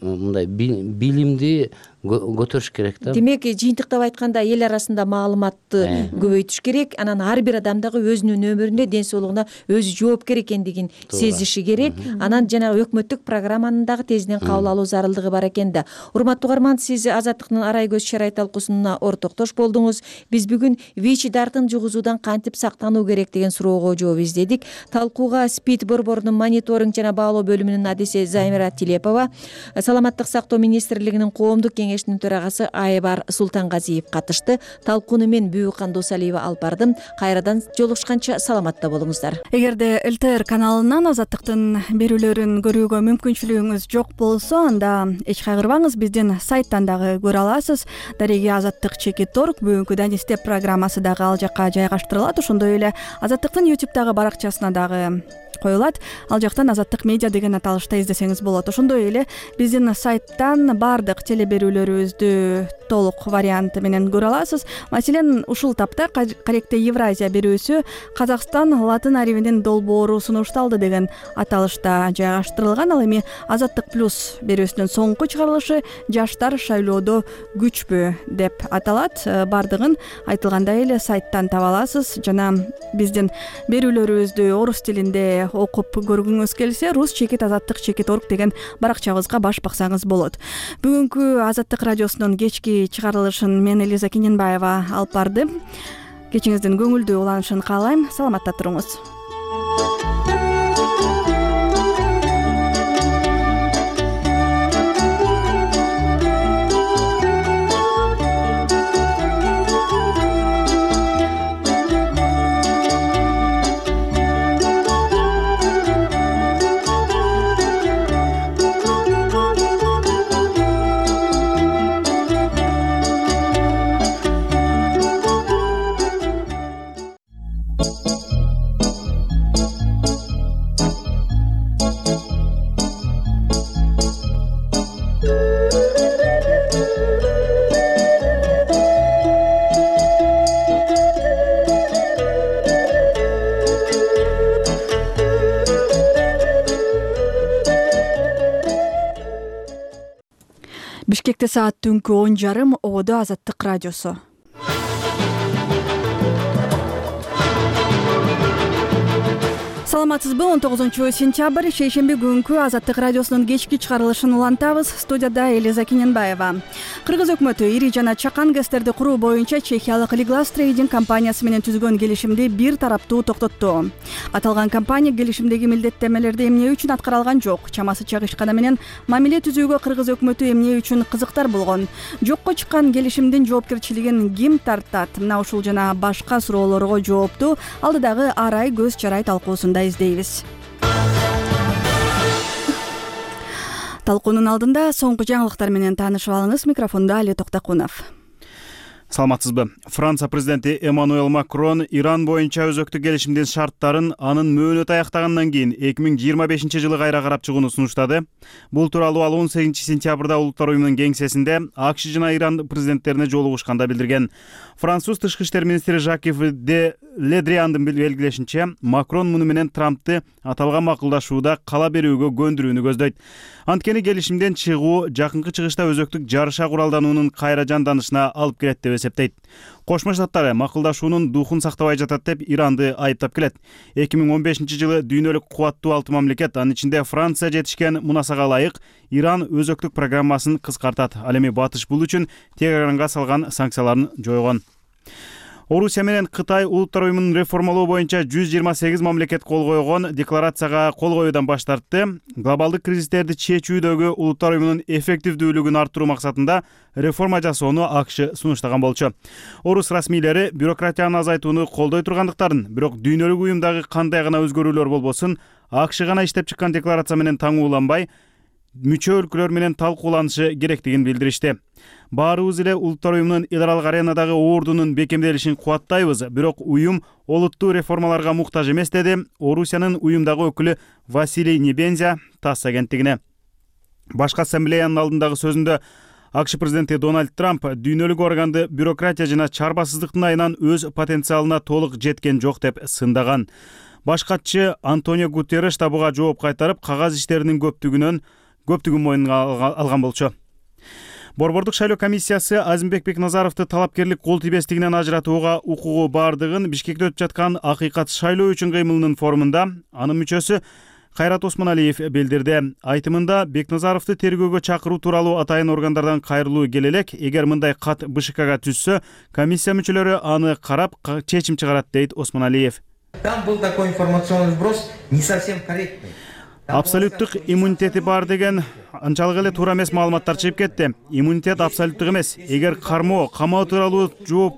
мындай билимди көтөрүш керек да. Демек, жыйынтыктап айтканда эл арасында маалыматты көбөйтүш керек. Анан ар бир адам дагы өзүнүн өмүрүнө, ден соолугуна өзү жоопкер экендигин сезиши керек. Анан жана өкмөттүк программаны дагы тезинен кабыл алуу зарылдыгы бар экен да. Урматтуу угарман, сиз Азаттыктын Арай көз шарай талкуусуна ортоктош болдуңуз. Биз бүгүн ВИЧ дартын жугузуудан кантип сактануу керек деген суроого жооп издедик. Талкууга СПИД борборунун мониторинг жана баалоо бөлүмүнүн адиси Замира Тилепова, Саламаттык сактоо министрлигинин коомдук кеңешинин төрагасы Айбар Султангазиев катышты. Талкууну мен Бүбүкан Досалиева алып бардым. Кайрадан жолугушканча саламатта болуңуздар. Эгерде ЛТР каналынан Азаттыктын берүүлөрүн көрүүгө мүмкүнчүлүгүңүз жок болсо, анда эч кайгырбаңыз, биздин сайттан дагы көрө аласыз. Дареги Азаттык чекит орг бүгүнкү Данистеп программасы дагы ал жакка жайгаштырылат. Ошондой эле Азаттыктын ютубтагы баракчасына дагы коюлат. Ал жактан Азаттык медиа деген аталышта издесеңиз болот. Ошондой эле биздин сайттан баардык теле берүүлөрүбүздү толук варианты менен көрө аласыз. Маселен, ушул тапта Каректе Евразия берүүсү Казакстан латын арибинин долбоору сунушталды деген аталышта жайгаштырылган. Ал эми Азаттык плюс берүүсүнүн соңку чыгарылышы Жаштар шайлоодо күчпү деп аталат. Бардыгын айтылгандай эле сайттан таба аласыз. Жана биздин берүүлөрүбүздү орус тилинде окуп көргүңүз келсе, рус чекит азаттык чекит орг деген баракчабызга баш баксаңыз болот. Бүгүнкү Азаттык радиосунун кечки чыгарылышын мен Элиза Кененбаева алып бардым. Кечиңиздин көңүлдүү уланышын каалайм. Саламатта туруңуз. Бишкекте саат түнкү он жарым. Ободо Азаттык радиосу. Саламатсызбы? он тогузунчу сентябрь шейшемби күнкү Азаттык радиосунун кечки чыгарылышын улантабыз. Студияда Элиза Кененбаева. Кыргыз өкмөтү ири жана чакан гэстерди куруу боюнча чехиялык Liglas Trading компаниясы менен түзгөн келишимди бир тараптуу токтотту. Аталган компания келишимдеги милдеттемелерди эмне үчүн аткара алган жок. Чамасы чагышканы менен мамиле түзүүгө кыргыз өкмөтү эмне үчүн кызыктар болгон. Жокко чыккан келишимдин жоопкерчилигин ким тартат? Мына ушул жана башка суроолорго жоопту алдыдагы ар ай көз чарай талкуусунда издейбиз. Талкуунун алдында соңку жаңылыктар менен таанышып алыңыз. Микрофондо Али Токтокунов. Саламатсызбы? Франция президенти Эммануэл Макрон Иран боюнча өзөктүк келишимдин шарттарын анын мөөнөтү аяктагандан кийин эки миң жыйырма бешинчи жылы кайра карап чыгууну сунуштады. Бул тууралуу ал он сегизинчи сентябрда Улуттар уюмунун кеңсесинде АКШ жана Иран президенттерине жолугушканда билдирген. Француз тышкы иштер министри Жакив де Ледриандын белгилешинче, Макрон муну менен Трампты аталган макулдашууда кала берүүгө көндүрүүнү көздөйт. Анткени келишимден чыгуу жакынкы чыгышта өзөктүк жарыша куралдануунун кайра жанданышына алып келет деп эсептейт. Кошмо Штаттар макулдашуунун духун сактабай жатат деп Иранды айыптап келет. эки миң он бешинчи жылы дүйнөлүк кубаттуу алты мамлекет, анын ичинде Франция жетишкен мунасага ылайык Иран өзөктүк программасын кыскартат. Ал эми Батыш бул үчүн Тегаранга салган санкцияларын жойгон. Орусия менен Кытай Улуттар уюмунун реформалоо боюнча жүз жыйырма сегиз мамлекет кол койгон декларацияга кол коюудан баш тартты. Глобалдык кризистерди чечүүдөгү Улуттар уюмунун эффективдүүлүгүн арттыруу максатында реформа жасоону АКШ сунуштаган болчу. Орус расмийлери бюрократияны азайтууну колдой тургандыктарын, бирок дүйнөлүк уюмдагы кандай гана өзгөрүүлөр болбосун, АКШ гана иштеп чыккан декларация менен таңууланбай, мүчө өлкөлөр менен талкууланышы керектигин билдиришти. Баарыбыз эле Улуттар уюмунун эл аралык аренадагы ордунун бекемделишин кубаттайбыз, бирок уюм олуттуу реформаларга муктаж эмес, деди Орусиянын уюмдагы өкүлү Василий Небензя ТАСС агенттигине. Башкы ассамблеянын алдындагы сөзүндө АКШ президенти Дональд Трамп дүйнөлүк органды бюрократия жана чарбасыздыктын айынан өз потенциалына толук жеткен жок деп сындаган. Баш катчы Антонио Гутерреш да буга жооп кайтарып, кагаз иштеринин көптүгүнөн көптүгүн мойнуна алган болчу. Борбордук шайлоо комиссиясы Азимбек Бекназаровду талапкерлик кол тийбестигинен ажыратууга укугу бардыгын Бишкекте өтүп жаткан акыйкат шайлоо үчүн кыймылынын форумунда анын мүчөсү Кайрат Осмоналиев билдирди. Айтымында Бекназаровду тергөөгө чакыруу тууралуу атайын органдардан кайрылуу келе элек, эгер мындай кат БШКга түшсө, комиссия мүчөлөрү аны карап чечим чыгарат, дейт Осмоналиев. Там был такой информационный вброс не совсем корректный. Абсолюттук иммунитети бар деген анчалык эле туура эмес маалыматтар чыгып кетти. Иммунитет абсолюттук эмес. Эгер кармоо, камоо тууралуу жооп,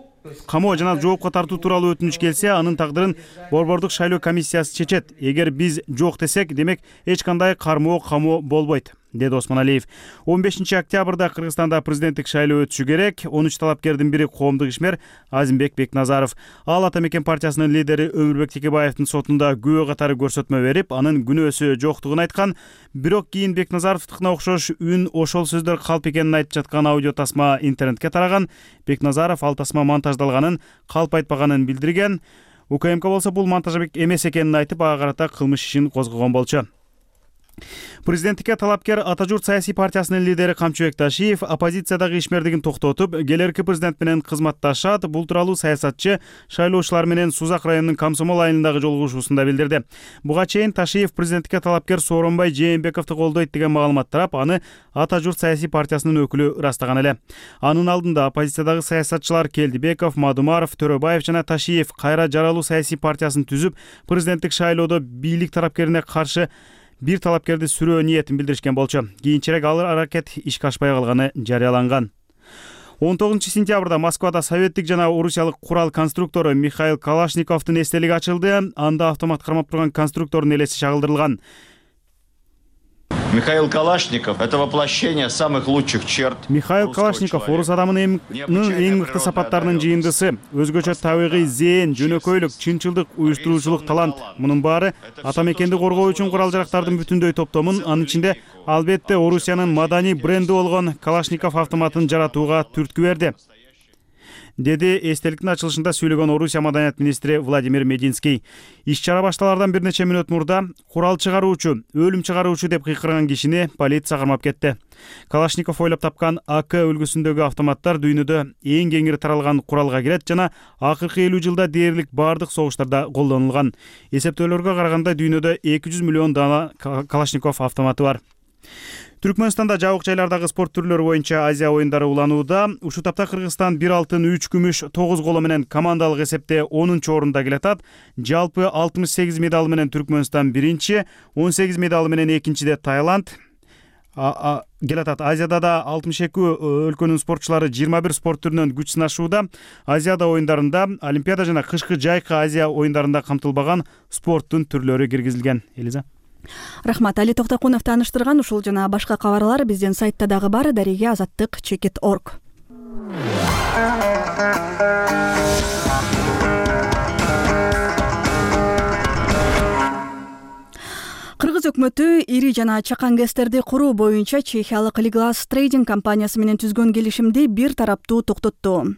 камоо жана жоопко тартуу тууралуу өтүнүч келсе, анын тагдырын Борбордук шайлоо комиссиясы чечет. Эгер биз жок десек, демек эч кандай кармоо, камоо болбойт, деди Осмоналиев. он бешинчи октябрда Кыргызстанда президенттик шайлоо өтүшү керек. он үч талапкердин бири коомдук ишмер Азимбек Бекназаров. Ал Ата Мекен партиясынын лидери Өмүрбек Текебаевдин сотунда күбө катары көрсөтмө берип, анын күнөөсү жоктугун айткан. Бирок кийин Бекназаровдукуна окшош үн, ошол сөздөр калп экенин айтып жаткан аудио тасма интернетке тараган. Бекназаров ал тасма монтаждалганын, калп айтпаганын билдирген. УКМК болсо бул монтажбек эмес экенин айтып, ага карата кылмыш ишин козгогон болчу. Президенттикке талапкер Ата журт саясий партиясынын лидери Камчыбек Ташиев оппозициядагы ишмердигин токтотуп, келерки президент менен кызматташат. Бул тууралуу саясатчы шайлоочулар менен Сузак районунун Комсомол айылындагы жолугушуусунда билдирди. Буга чейин Ташиев президенттикке талапкер Сооронбай Жээнбековду колдойт деген маалымат тарап, аны Ата журт саясий партиясынын өкүлү ырастаган эле. Анын алдында оппозициядагы саясатчылар Келдибеков, Мадумаров, Төрөбаев жана Ташиев кайра жаралуу саясий партиясын түзүп, президенттик шайлоодо бийлик тарапкерине каршы бир талапкерди сүрөө ниетин билдиришкен болчу. Кийинчерээк ал аракет ишке ашпай калганы жарыяланган. он тогузунчу сентябрда Москвада советтик жана орусиялык курал конструктору Михаил Калашниковдун эстелиги ачылды. Анда автомат кармап турган конструктордун элеси чагылдырылган. Михаил Калашников – это воплощение самых лучших черт. Михаил Калашников орус адамынын эң мыкты сапаттарынын жыйындысы. Өзгөчө табигый зээн, жөнөкөйлүк, чынчылдык, уюштуруучулук, талант. Мунун баары ата мекенди коргоо үчүн курал-жарактардын бүтүндөй топтомун, анын ичинде албетте Орусиянын маданий бренди болгон Калашников автоматын жаратууга түрткү берди, деди эстеликтин ачылышында сүйлөгөн Орусия маданият министри Владимир Мединский. Иш-чара башталардан бир нече мүнөт мурда курал чыгаруучу, өлүм чыгаруучу деп кыйкырган кишини полиция кармап кетти. Калашников ойлоп тапкан АК үлгүсүндөгү автоматтар дүйнөдө эң кеңири таралган куралга кирет жана акыркы элүү жылда дээрлик бардык согуштарда колдонулган. Эсептөөлөргө караганда дүйнөдө эки жүз миллион дана Калашников автоматы бар. Түркмөнстанда жабык жайлардагы спорт түрлөрү боюнча Азия оюндары уланууда. Ушул тапта Кыргызстан бир алтын, үч күмүш, тогуз коло менен командалык эсепте онунчу орунда келатат. Жалпы алтымыш сегиз медал менен Түркмөнстан биринчи, он сегиз медал менен экинчиде Таиланд келатат. Азияда да алтымыш эки өлкөнүн спортчулары жыйырма бир спорт түрүнөн күч сынашууда. Азияда оюндарында Олимпиада жана кышкы жайкы Азия оюндарында камтылбаган спорттун түрлөрү киргизилген. Элиза. Рахмат. Али Токтокунов тааныштырган. Ушул жана башка кабарлар биздин сайтта дагы бар. Дареге азаттык чекит орг. Кыргыз өкмөтү ири жана чакан гэстерди куруу боюнча чехиялык Liglas Trading компаниясы менен түзгөн келишимди бир тараптуу токтотту.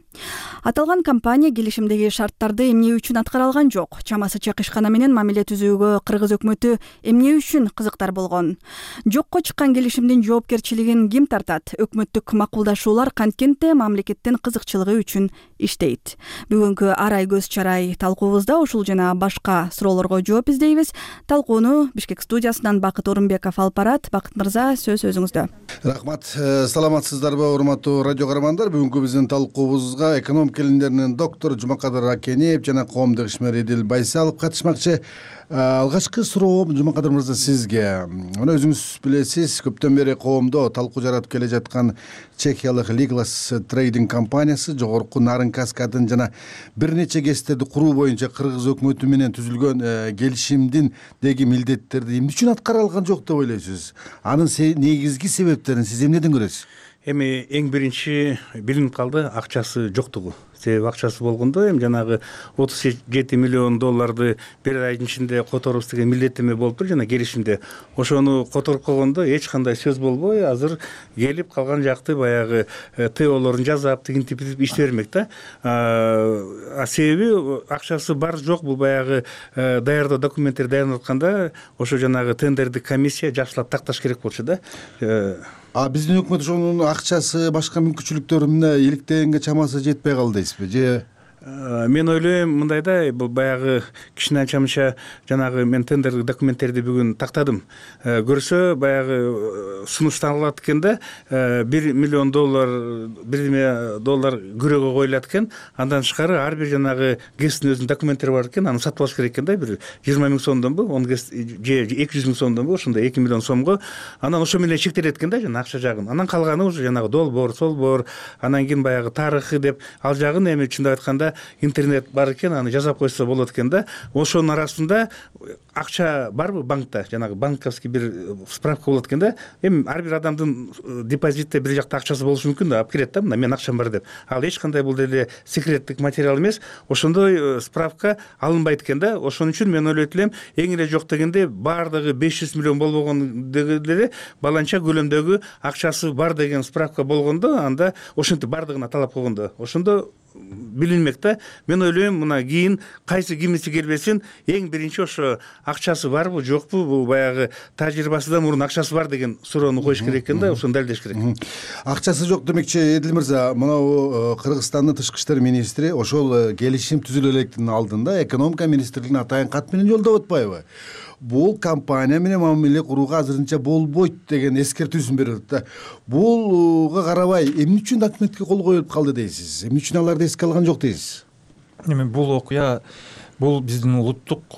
Аталган компания келишимдеги шарттарды эмне үчүн аткара алган жок. Чамасы чак ишкана менен мамиле түзүүгө Кыргыз өкмөтү эмне үчүн кызыктар болгон? Жокко чыккан келишимдин жоопкерчилигин ким тартат? Өкмөттүк макулдашуулар канткенте мамлекеттин кызыкчылыгы үчүн иштейт. Бүгүнкү арай көз чарай талкуубузда ушул жана башка суроолорго жооп издейбиз. Талкууну Бишкек студиясынан Бакыт Орунбеков алып барат. Бакыт мырза, сөз өзүңүздө. Рахмат. Саламатсыздарбы, урматтуу радио көрөрмандар? Бүгүнкү биздин талкуубузга экономика илимдеринин доктору Жумакадыр Акенеев жана коомдук ишмер Эдил Байсалов катышмакчы. Алгачкы суроом Жумакадыр мырза сизге. Мына өзүңүз билесиз, көптөн бери коомдо талкуу жаратып келе жаткан чехиялык Liglas Trading компаниясы жогорку нарын каскадын жана бир нече гэстерди куруу боюнча Кыргыз өкмөтү менен түзүлгөн келишимдин деги милдеттерди эмне үчүн аткара алган жок деп ойлойсуз? Анын негизги себептерин сиз эмнеден көрөсүз? Эми эң биринчи билинип калды акчасы жоктугу. Себеби акчасы болгондо эми жанагы отуз жети миллион долларды бир айдын ичинде которубуз деген милдеттеме болуптур жана келишимде. Ошону которуп койгондо эч кандай сөз болбой, азыр келип калган жакты баягы ТОлорун жасап, тигинтип иште бермек да. А себеби акчасы бар жок, бул баягы даярдоо документтерди даярдап атканда ошо жанагы тендердик комиссия жакшылап такташ керек болчу да. А биздин өкмөт ошонун акчасы, башка мүмкүнчүлүктөрү эмне иликтегенге чамасы жетпей калды дейсизби? Же мен ойлойм мындай да, бул баягы кичине чамча жанагы мен тендердик документтерди бүгүн тактадым. Көрсө баягы сунушталат экен да, бир миллион доллар, бир доллар күрөөгө коюлат экен. Андан тышкары ар бир жанагы гэстин өзүнүн документтери бар экен. Аны сатып алыш керек экен да, бир жыйырма миң сомдонбу, он гэст же эки жүз миң сомдонбу, ошондой эки миллион сомго. Анан ошо менен чектелет экен да, жана акча жагын. Анан калганы уже жанагы долбоор, солбоор, анан кийин баягы тарыхы деп ал жагын эми чындап айтканда интернет бар экен, аны жазап койсо болот экен да. Ошонун арасында акча барбы банкта, жанагы банковский бир справка болот экен да. Эми ар бир адамдын депозитте бир жакта акчасы болушу мүмкүн да, алып кирет да, мына менин акчам бар деп. Ал эч кандай бул деле секреттик материал эмес. Ошондой справка алынбайт экен да. Ошон үчүн мен ойлойт элем, эң эле жок дегенде баардыгы беш жүз миллион болбогон деле баланча көлөмдөгү акчасы бар деген справка болгондо, анда ошентип баардыгына талап койгондо, ошондо билинмек да. Мен ойлойм, мына кийин кайсы кимиси келбесин, эң биринчи ошо акчасы барбы жокпу, бул баягы тажрыйбасыдан мурун акчасы бар деген суроону коюш керек экен да, ошону далилдеш керек. Акчасы жок демекчи Эдил мырза, мына Кыргызстандын тышкы иштер министри ошол келишим түзүлө электин алдында экономика министрлигине атайын кат менен жолдоп атпайбы? Бул компания менен мамиле курууга азырынча болбойт деген эскертүүсүн берип атат да. Булга карабай эмне үчүн документке кол коюлуп калды дейсиз? Эмне үчүн аларды эске алган жок дейсиз? Эми бул окуя бул биздин улуттук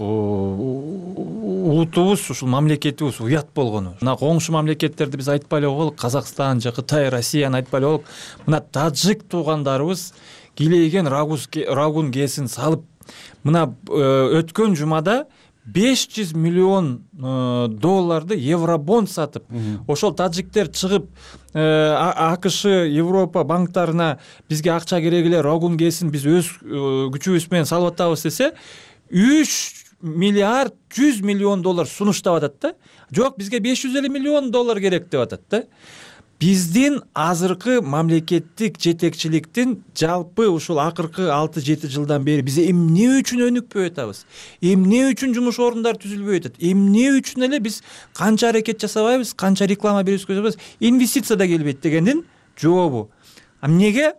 улутубуз, ушул мамлекетибиз уят болгону. Мына коңшу мамлекеттерди биз айтпай эле коелук, Казакстан же Кытай, Россияны айтпай эле коелук. Мына тажик туугандарыбыз килейген рагун кесин салып, мына өткөн жумада беш жүз миллион долларды евробонд сатып, ошол тажиктер чыгып АКШ, Европа банктарына бизге акча керек эле, рогун кесин, биз өз күчүбүз менен салып атабыз десе, үч миллиард жүз миллион доллар сунуштап атат да. Жок, бизге беш жүз элүү миллион доллар керек деп атат да. Биздин азыркы мамлекеттик жетекчиликтин жалпы ушул акыркы алты жети жылдан бери биз эмне үчүн өнүкпөй атабыз? Эмне үчүн жумуш орундар түзүлбөй атат? Эмне үчүн эле биз канча аракет жасабайбыз, канча реклама берип өткөзөбүз, инвестиция да келбейт дегендин жообу. А эмнеге?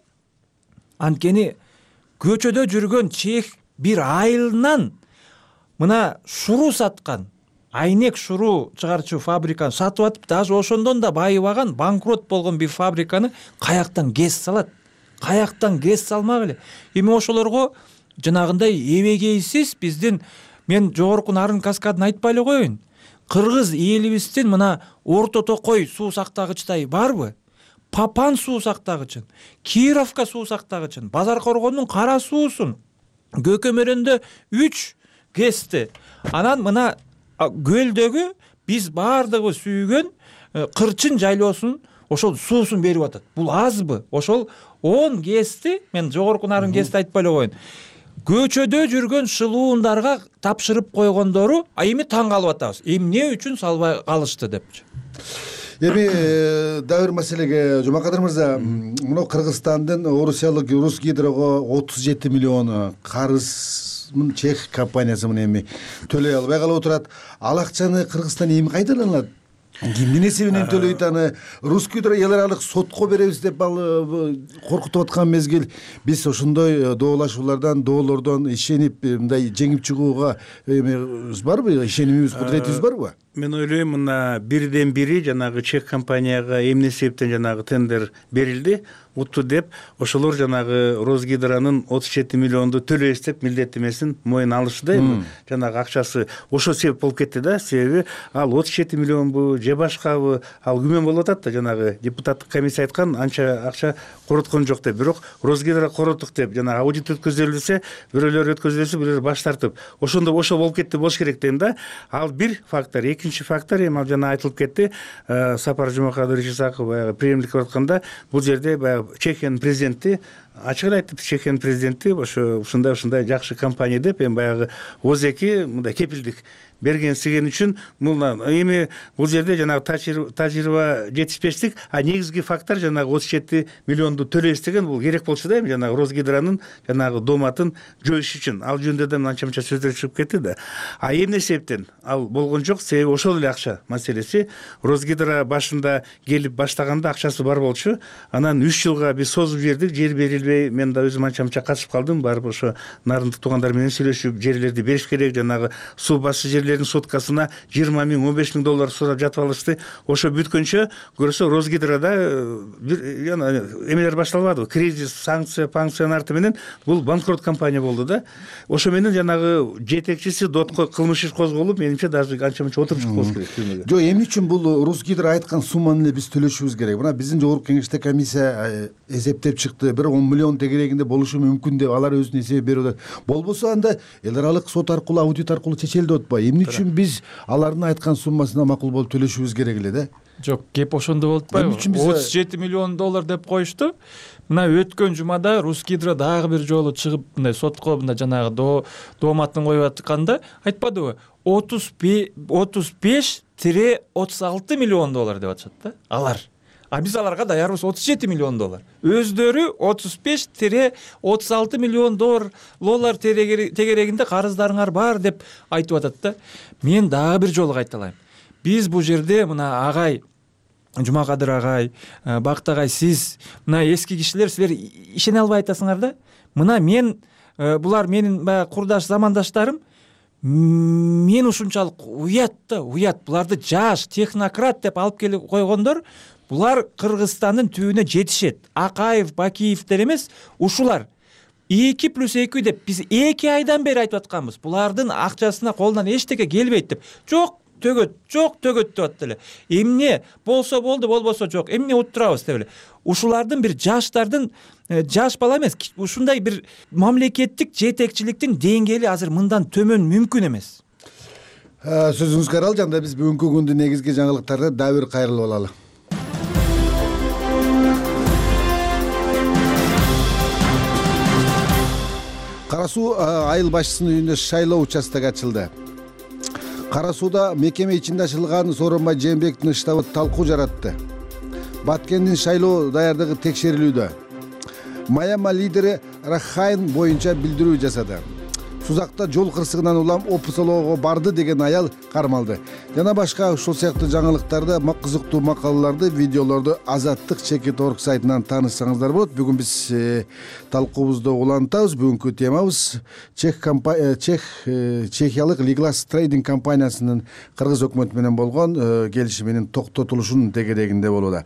Анткени көчөдө жүргөн чех бир айылынан мына шуруу саткан, айнек шуруу чыгарчу фабриканы сатып атып, даже ошондон да байыбаган, банкрот болгон бир фабриканы каяктан гез салат? Каяктан гез салмак эле? Эми ошолорго жанагындай эбегейсиз биздин, мен жогорку Нарын каскадын айтпай эле коеюн. Кыргыз элибиздин мына Орто Токой суу сактагычтай барбы? Папан суу сактагычын, Кировка суу сактагычын, Базар Коргондун Кара суусун, Көкөмөрөндө үч гэсти. Анан мына көлдөгү биз баардыгыбыз сүйгөн Кырчын жайлоосун ошол суусун берип атат. Бул азбы? Ошол он гэсти, мен жогорку Нарын гэсти айтпай эле коеюн, көчөдө жүргөн шылуундарга тапшырып койгондору, а эми таң калып атабыз. Эмне үчүн салбай калышты депчи. Эми дагы бир маселеге, Жумакадыр мырза, мына Кыргызстандын орусиялык Русгидрого отуз жети миллион карыз чех компаниясы мына эми төлөй албай калып отурат. Ал акчаны Кыргызстан эми кайдаланат? Кимдин эсебинен төлөйт аны? Русгидро эл аралык сотко беребиз деп ал коркутуп аткан мезгил, биз ошондой доолашуулардан, доолордон ишенип мындай жеңип чыгууга эмебиз барбы? Ишенимибиз, кудуретибиз барбы? Мен ойлойм, мына бирден бири жанагы чех компанияга эмне себептен жанагы тендер берилди, утту деп, ошолор жанагы Росгидронун отуз жети миллионду төлөйбүз деп милдеттемесин мойнуна алышты да, эми жанагы акчасы ошол себеп болуп кетти да. Себеби ал отуз жети миллионбу же башкабы, ал күмөн болуп атат да, жанагы депутаттык комиссия айткан анча акча короткон жок деп. Бирок Росгидро короттук деп жанагы аудит өткөзүлсө, бирөөлөр өткөзүлсө, бирөөлөр баш тартып, ошондо ошол болуп кетти болуш керек дейм да. Ал бир фактор. Экинчи фактор, эми ал жана айтылып кетти, Сапар Жумакадырович Исаков баягы преемник кылып атканда, бул жерде баягы Чехиянын президенти ачык эле айтты, Чехиянын президенти ошо ушундай ушундай жакшы компания деп, эми баягы озеки мындай кепилдик берген сиген үчүн мына эми бул жерде жанагы тажрыйба жетишпештик, а негизги фактор жанагы отуз жети миллионду төлөйбүз деген бул керек болчу да, эми жанагы Росгидронун жанагы доматын жоюш үчүн. Ал жөнүндө да анча мынча сөздөр чыгып кетти да. А эмне себептен ал болгон жок? Себеби ошол эле акча маселеси. Росгидро башында келип баштаганда акчасы бар болчу, анан үч жылга биз созуп жибердик, жер берилбей. Мен да өзүм анча мынча катышып калдым, барып ошо нарындык туугандар менен сүйлөшүп, жерлерди бериш керек, жанагы суу басчы жерлердин соткасына жыйырма миң, он беш миң доллар сурап жатып алышты. Ошо бүткөнчө көрсө Росгидрода бир эмелер башталбады, кризис, санкция, панкциянын арты менен бул банкрот компания болду да. Ошо менен жанагы жетекчиси дотко кылмыш иш козголуп, менимче даже анча мынча отуруп чыкып болуш керек түрмөгө. Жок, эмне үчүн бул Росгидро айткан сумманы эле биз төлөшүбүз керек? Мына биздин жогорку кеңеште комиссия эсептеп чыкты, бир он миллион тегерегинде болушу мүмкүн деп алар өзүнүн эсеби берип атат. Болбосо анда эл аралык сот аркылуу, аудит аркылуу чечелди деп атпайбы? Эмне үчүн биз алардын айткан суммасына макул болуп төлөшүбүз керек эле да? Жок, кеп ошондо болуп атпайбы? отуз жети миллион доллар деп коюшту. Мына өткөн жумада Русгидро дагы бир жолу чыгып мындай сотко мындай жанагы дооматын коюп атканда айтпадыбы? отуз беш отуз алты миллион доллар деп атышат да алар. А биз аларга даярбыз отуз жети миллион доллар. Өздөрү отуз беш отуз алты миллион доллар тегерегинде карыздарыңар бар деп айтып атат да. Мен дагы бир жолу кайталайм. Биз бул жерде мына агай Жумакадыр агай, Бакыт агай, сиз мына эски кишилер, силер ишене албай атасыңар да. Мына мен, булар менин баягы курдаш замандаштарым, мен ушунчалык уят да, уят. Буларды жаш, технократ деп алып келип койгондор, булар Кыргызстандын түбүнө жетишет. Акаев, Бакиевдер эмес, ушулар. эки плюс эки деп биз эки айдан бери айтып атканбыз. Булардын акчасына колунан эчтеке келбейт деп. Жок, төгөт, жок, төгөт деп атты эле. Эмне болсо болду, болбосо жок. Эмне уттурабыз деп эле. Ушулардын бир жаштардын, жаш бала эмес, ушундай бир мамлекеттик жетекчиликтин деңгээли азыр мындан төмөн мүмкүн эмес. сөзүңүзгө аралжы. Анда биз бүгүнкү күндүн негизги жаңылыктарына дагы бир кайрылып алалы. Кара Суу айыл башчысынын үйүндө шайлоо участогу ачылды. Кара Сууда мекеме ичинде ачылган Сооронбай Жээнбековдун штабы талкуу жаратты. Баткендин шайлоо даярдыгы текшерилүүдө. Майама лидери Рахайн боюнча билдирүү жасады. Сузакта жол кырсыгынан улам опусолоого барды деген аял кармалды. Жана башка ушул сыяктуу жаңылыктарды, кызыктуу макалаларды, видеолорду Азаттык чекит точка орг сайтынан таанышсаңыздар болот. Бүгүн биз талкуубузду улантабыз. Бүгүнкү темабыз Чех компания Чех Чехиялык Liglas Trading компаниясынын кыргыз өкмөтү менен болгон келишиминин токтотулушунун тегерегинде болууда.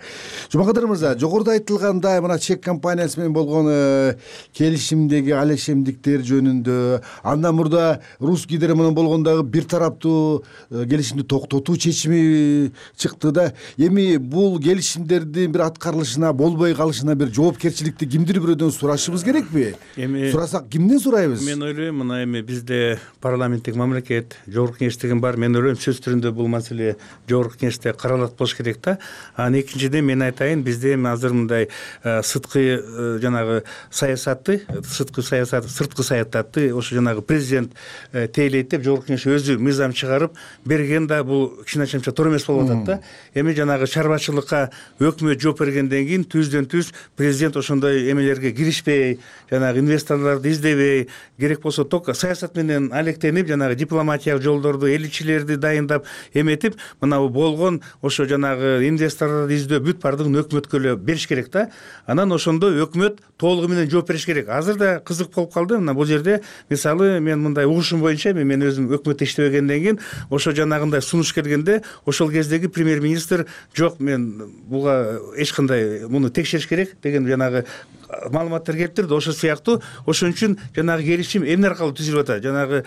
Жумакадыр мырза, жогоруда айтылгандай мына Чех компаниясы менен болгон келишимдеги алешемдиктер жөнүндө, андан мурда Русский гидро менен болгондогу бир тараптуу келишимди токтотуу чечими чыкты да. Эми бул келишимдердин бир аткарылышына, болбой калышына бир жоопкерчиликти кимдир бирөөдөн сурашыбыз керекпи? Эми сурасак кимден сурайбыз? Мен ойлойм, мына эми бизде парламенттик мамлекет, жогорку кеңеш деген бар. Мен ойлойм сөз түрүндө бул маселе жогорку кеңеште каралат болуш керек да. Анан экинчиден мен айтайын, бизде эми азыр мындай сырткы жанагы саясатты, сырткы саясат, сырткы саясатты ошо жанагы президент тейлейт деп жогорку кеңеш өзү мыйзам чыгарып берген да, бул кичине чамча туура эмес болуп атат да. Эми жанагы чарбачылыкка өкмөт жооп бергенден кийин түздөн түз президент ошондой эмелерге киришпей, жанагы инвесторлорду издебей, керек болсо ток саясат менен алектенип, жанагы дипломатиялык жолдорду, элчилерди дайындап эметип, мына болгон ошо жанагы инвесторлорду издөө бүт бардыгын өкмөткө эле бериш керек да. Анан ошондо өкмөт толугу менен жооп бериш керек. Азыр да кызык болуп калды. Мына бул жерде мисалы мен мындай угушум боюнча, мен өзүм өкмөттө иштебегенден кийин ошо жанагындай сунуш келгенде ошол кездеги премьер-министр жок, мен буга эч кандай муну текшериш керек деген жанагы маалыматтар келип турду. Ошол сыяктуу ошон үчүн жанагы келишим эмне аркылуу түзүлүп атат? Жанагы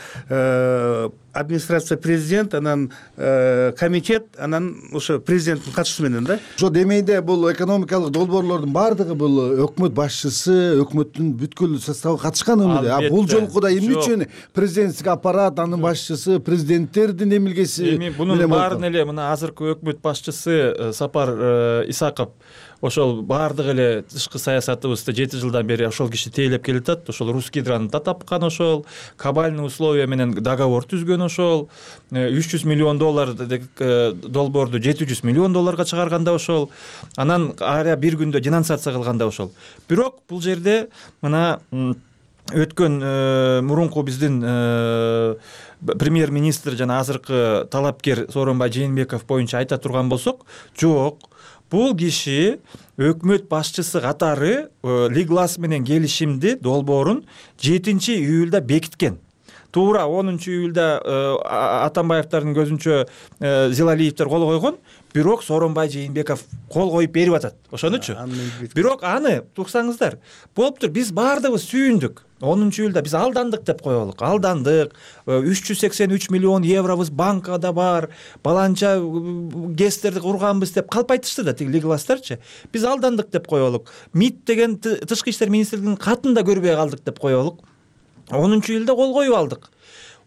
администрация президент, анан комитет, анан ошо президенттин катышуусу менен да. Ошо демейде бул экономикалык долбоорлордун баардыгы бул өкмөт башчысы, өкмөттүн бүткүл составы катышкан эмне? А бул жолку да эмне үчүн президенттик аппарат, анын башчысы, президенттердин эмилгеси? Эми бунун баарын эле мына азыркы өкмөт башчысы Сапар Исаков ошол баардык эле тышкы саясатыбызды жети жылдан бери ошол киши тейлеп келатат. Ошол Русский гидрону да тапкан, ошол кабальный условия менен договор түзгөн, ошол үч жүз миллион доллар долбоорду жети жүз миллион долларга чыгарганда ошол, анан ара бир күндө денонсация кылганда ошол. Бирок бул жерде мына өткөн мурунку биздин премьер-министр жана азыркы талапкер Сооронбай Жээнбеков боюнча айта турган болсок, жок, бул киши өкмөт башчысы катары Liglas менен келишимди долбоорун жетинчи июлда бекиткен. Туура онунчу июлда Атамбаевдардын көзүнчө Зилалиевдер кол койгон, бирок Сооронбай Жээнбеков кол коюп берип атат. Ошонучу. Бирок аны туксаңыздар, болуптур, биз баардыгыбыз сүйүндүк. онунчу июлда биз алдандык деп коелук. Алдандык. үч жүз сексен үч миллион евробуз банкада бар, баланча гестерди курганбыз деп калп айтышты да тиги Liglas'тарчы. Биз алдандык деп коелук. МИД деген тышкы иштер министрлигинин катын да көрбөй калдык деп коелук. онунчу июлда кол коюп алдык.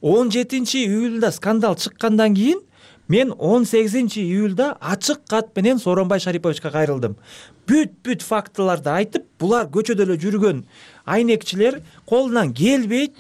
он жетинчи июлда скандал чыккандан кийин мен он сегизинчи июлда ачык кат менен Сооронбай Шариповичке кайрылдым. Бүт-бүт фактыларды айтып, булар көчөдө эле жүргөн айнекчилер колунан келбейт.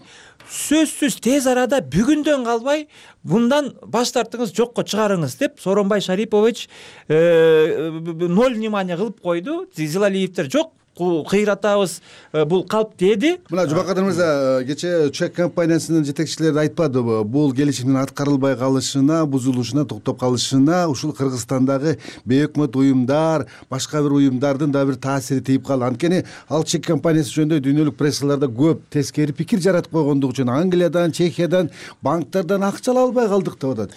Сөзсүз тез арада бүгүндөн калбай мындан баш тартыңыз, жокко чыгарыңыз деп Сооронбай Шарипович ноль внимания кылып койду. Зилалиевдер жок, кыйратабыз, бул калп деди. Мына Жубакадыр мырза, кечээ Чех компаниясынын жетекчилери айтпадыбы, бул келишимдин аткарылбай калышына, бузулушуна, токтоп калышына ушул Кыргызстандагы бейөкмөт уюмдар, башка бир уюмдардын да бир таасири тийип калды. Анткени ал Чех компаниясы жөнүндө дүйнөлүк прессаларда көп тескери пикир жаратып койгондугу үчүн Англиядан, Чехиядан, банктардан акча ала албай калдык деп атат.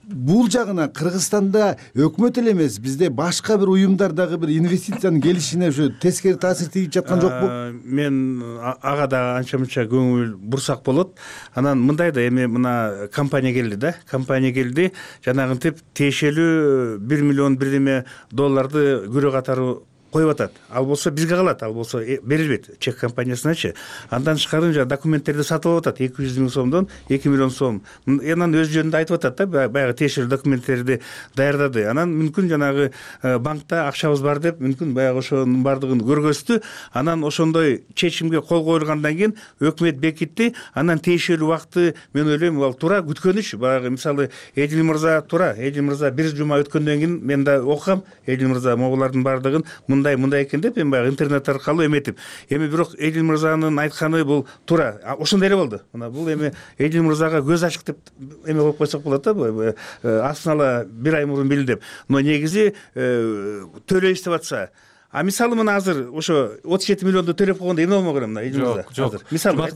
Бул жагына Кыргызстанда өкмөт эле эмес, бизде башка бир уюмдар дагы бир инвестициянын келишине ушу тескери таасир тийип жаткан жокпу? Мен ага да анча-мынча көңүл бурсак болот. Анан мындай да, эми мына компания келди да, компания келди, жанагынтип тиешелүү бир миллион бирдеме долларды күрө катары коюп атат, ал болсо бизге калат, ал болсо берилбейт чек компаниясыначы. Андан тышкары жанагы документтерди сатып алып атат, эки жүз миң сомдон эки миллион сом. Анан өз жөнүндө айтып атат да, баягы тиешелүү документтерди даярдады. Анан мүмкүн жанагы банкта акчабыз бар деп мүмкүн баягы ошонун баардыгын көргөздү. Анан ошондой чечимге кол коюлгандан кийин өкмөт бекитти. Анан тиешелүү убакты мен ойлойм ал туура күткөн иш. Баягы мисалы Эдил мырза туура, Эдил мырза бир жума өткөндөн кийин мен да окугам, Эдил мырза могулардын баардыгын мындай мындай экен деп мен баягы интернет аркылуу эметип. Эми бирок Эдил мырзанын айтканы бул туура. Ошондой эле болду. Мына бул эми Эдил мырзага көз ачык деп эме коюп койсок болот да, астына ала бир ай мурун билдим. Но негизи төлөйбүз деп атса, а мисалы мына азыр ошо отуз жети миллионду төлөп койгондо эмне болмок эле мына Эдил мырза? Жок, жок. Мисалы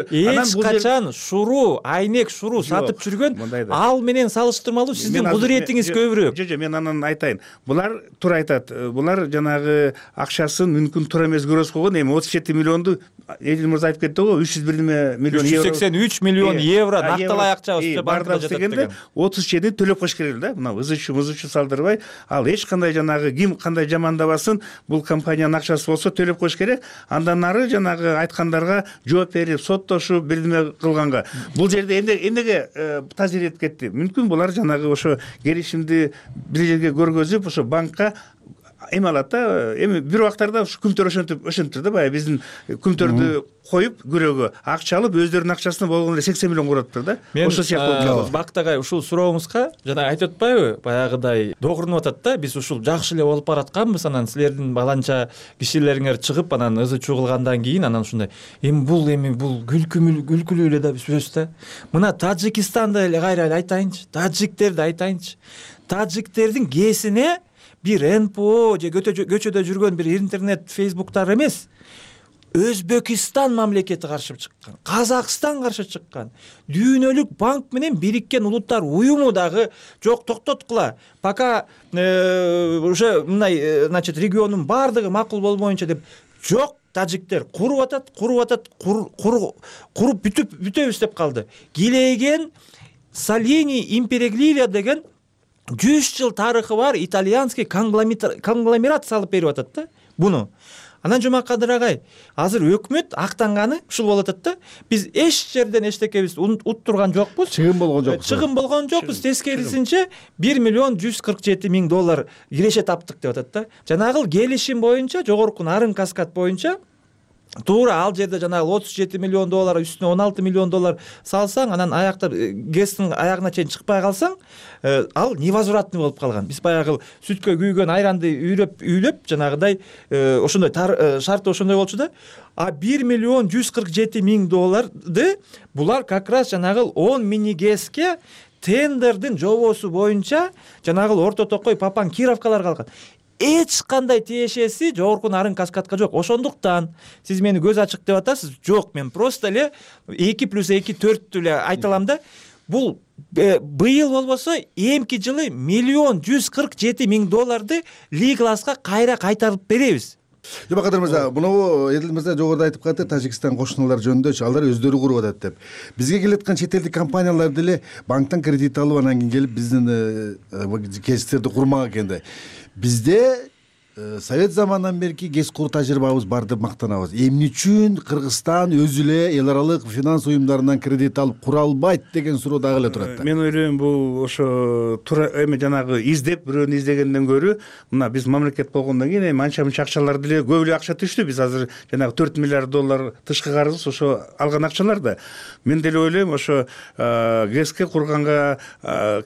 эч качан шуруу, айнек шуруу сатып жүргөн, ал менен салыштырмалуу сиздин кудуретиңиз көбүрөөк. Жок, жок, мен анан айтайын. Булар туура айтат. Булар жанагы акчасын мүмкүн туура эмес көрөс койгон. Эми отуз жети миллионду Эдил мырза айтып кетти го, үч жүз бир миллион евро. үч жүз сексен үч миллион евро накталай акчабыз бардыгы жатат дегенде отуз жети төлөп коюш керек эле да. Мына ызычу мызычу салдырбай, ал эч кандай жанагы ким кандай жамандабасын, бул компаниянын акчасы болсо төлөп коюш керек. Андан нары жанагы айткандарга жооп берип, соттошуп, бирдеме кылганга. Бул жерде эмнеге таза иретип кетти? Мүмкүн булар жанагы ошо келишимди бир жерге көргөзүп, ошо банкка эме алат да. Эми бир убактарда ушу күмтөр ошентип ошентиптир да, баягы биздин күмтөрдү коюп күрөөгө акча алып, өздөрүнүн акчасына болгону эле сексен миллион куратыптыр да. Ошо сыяктуу Бактагай ушул сурооңузга жана айтып атпайбы, баягыдай догурунуп атат да, биз ушул жакшы эле болуп баратканбыз, анан силердин баланча кишилериңер чыгып анан ызы чуу кылгандан кийин анан ушундай эми бул эми бул күлкүлүү күлкүлүү эле да сөз да. Мына Тажикстанды эле кайра айтайынчы, таджиктерди айтайынчы. Таджиктердин кесине бир эн пэ о же көчөдө жүргөн бир интернет фейсбуктар эмес, Өзбекистан мамлекети каршы чыккан, Казакстан каршы чыккан, Дүйнөлүк банк менен Бириккен Улуттар уюму дагы жок токтоткула, пока уже мындай значит региондун баардыгы макул болбоюнча деп жок. Таджиктер куруп атат, куруп атат, куруп бүтүп бүтөбүз деп калды. Килейген Салини Империглия деген жүз жыл тарыхы бар итальянский конгломерат салып берип атат да буну. Анан Жумакадыр агай, азыр өкмөт актанганы ушул болуп атат да. Биз эч жерден эчтекебиз уттурган жокпуз. Чыгым болгон жокпуз. Чыгым болгон жокпуз. Тескерисинче бир миллион жүз кырк жети миң доллар киреше таптык деп атат да. Жанагы келишим боюнча, жогорку нарын каскад боюнча туура ал жерде жанагы отуз жети миллион доллар үстүнө он алты миллион доллар салсаң, анан аякта гэстин аягына чейин чыкпай калсаң, ал невозвратный болуп калган. Биз баягы сүткө күйгөн айранды үйрөп үйлөп жанагыдай ошондой шарты ошондой болчу да. А бир миллион жүз кырк жети миң долларды булар как раз жанагы он мини гэске тендердин жобосу боюнча жанагы Орто Токой, Папан, Кировкалар калган. Эч кандай тиешеси жогорку нарын каскадка жок. Ошондуктан сиз мени көз ачык деп атасыз. Жок, мен просто эле эки плюс эки төрттү эле айта алам да. Бул быйыл болбосо эмки жылы миллион жүз кырк жети миң долларды Лигласка кайра кайтарып беребиз. Жумакадыр мырза, муну Эдил мырза жогоруда айтып калды, Тажикстан кошуналар жөнүндө алар өздөрү куруп атат деп. Бизге келаткан чет элдик компаниялар деле банктан кредит алып анан кийин келип биздин кесиптерди курмак экен да. Бизде Совет заманынан берки гэс куруу тажрыйбабыз бар деп мактанабыз. Эмне үчүн Кыргызстан өзү эле эл аралык финанс уюмдарынан кредит алып кура албайт деген суроо дагы эле турат да. Мен ойлойм бул ошо туура эми жанагы издеп бирөөнү издегенден көрө, мына биз мамлекет болгондон кийин эми анча мынча акчалар деле көп эле акча түштү. Биз азыр жанагы төрт миллиард доллар тышкы карыз ошо алган акчалар да. Мен деле ойлойм ошо гэске курганга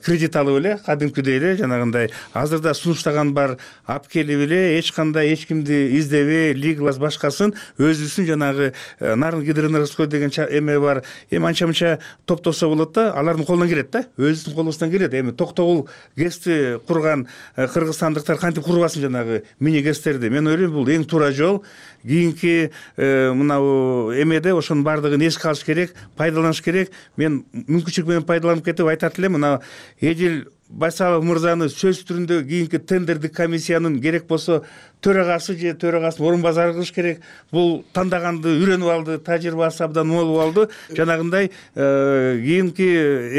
кредит алып эле кадимкидей эле жанагындай азырда сунуштаган бар алып келип эле эч кандай эч кимди издебей, Лиглас башкасын өзүбүздүн жанагы нарын гидроэнергостой деген эме бар. Эми анча мынча топтосо болот да, алардын колунан келет да, өзүбүздүн колубуздан келет. Эми токтогул гэсти курган кыргызстандыктар кантип курбасын жанагы мини гэстерди. Мен ойлойм бул эң туура жол. Кийинки мынау эмеде ошонун баардыгын эске алыш керек, пайдаланыш керек. Мен мүмкүнчүлүк менен пайдаланып кетип айтат элем, мына Эдил Байсалов мырзаны сөз түрүндө кийинки тендердик комиссиянын керек болсо төрагасы же төрагасынын орун базары кылыш керек. Бул тандаганды үйрөнүп алды, тажрыйбасы абдан мол болду. Жанагындай кийинки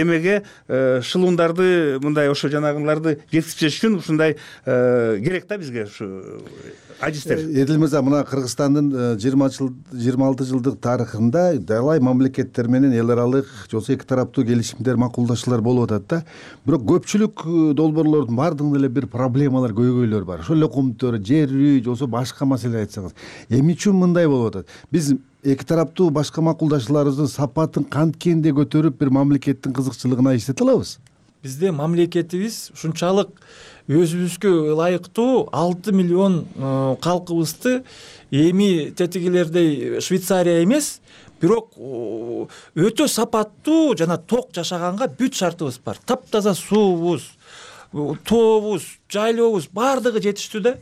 эмеге шылуундарды мындай ошо жанагыларды жеткизиш үчүн ушундай керек да бизге ушу адистер. Эдил мырза, мына Кыргызстандын жыйырма жыл жыйырма алты жылдык тарыхында далай мамлекеттер менен эл аралык же болбосо эки тараптуу келишимдер, макулдашуулар болуп атат да. Бирок көпчүлүк долбоорлордун баардыгында эле бир проблемалар, көйгөйлөр бар. Ошол эле комтор, жер үй же болбосо башка маселе айтсаңыз. Эмне үчүн мындай болуп атат? Биз эки тараптуу башка макулдашууларыбыздын сапатын канткенде көтөрүп бир мамлекеттин кызыкчылыгына иштете алабыз? Бизде мамлекетибиз ушунчалык өзүбүзгө ылайыктуу алты миллион калкыбызды эми тетигилердей Швейцария эмес, бирок өтө сапаттуу жана ток жашаганга бүт шартыбыз бар. Таптаза суубуз, тообуз, жайлообуз баардыгы жетиштүү да.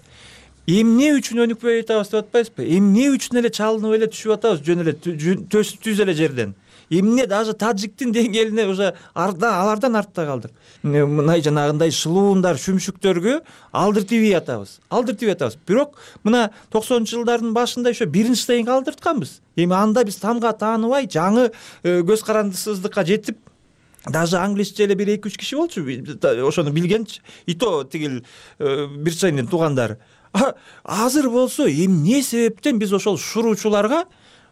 Эмне үчүн өнүкпөй атабыз деп атпайсызбы? Эмне үчүн эле чалынып эле түшүп атабыз жөн эле түз эле жерден? Эмне даже таджиктин деңгээлине уже алардан артта калдык. Мына жанагындай шылуундар, шүмшүктөргө алдыртыбей атабыз. Алдыртыбей атабыз. Бирок мына токсонунчу жылдардын башында ошо биринчи стейнге алдыртканбыз. Эми анда биз тамга тааныбай, жаңы көз карандысыздыкка жетип, даже англисче эле бир эки үч киши болчу, ошону билген, и то тигил бир чайнын туугандары. Азыр болсо эмне себептен биз ошол шуруучуларга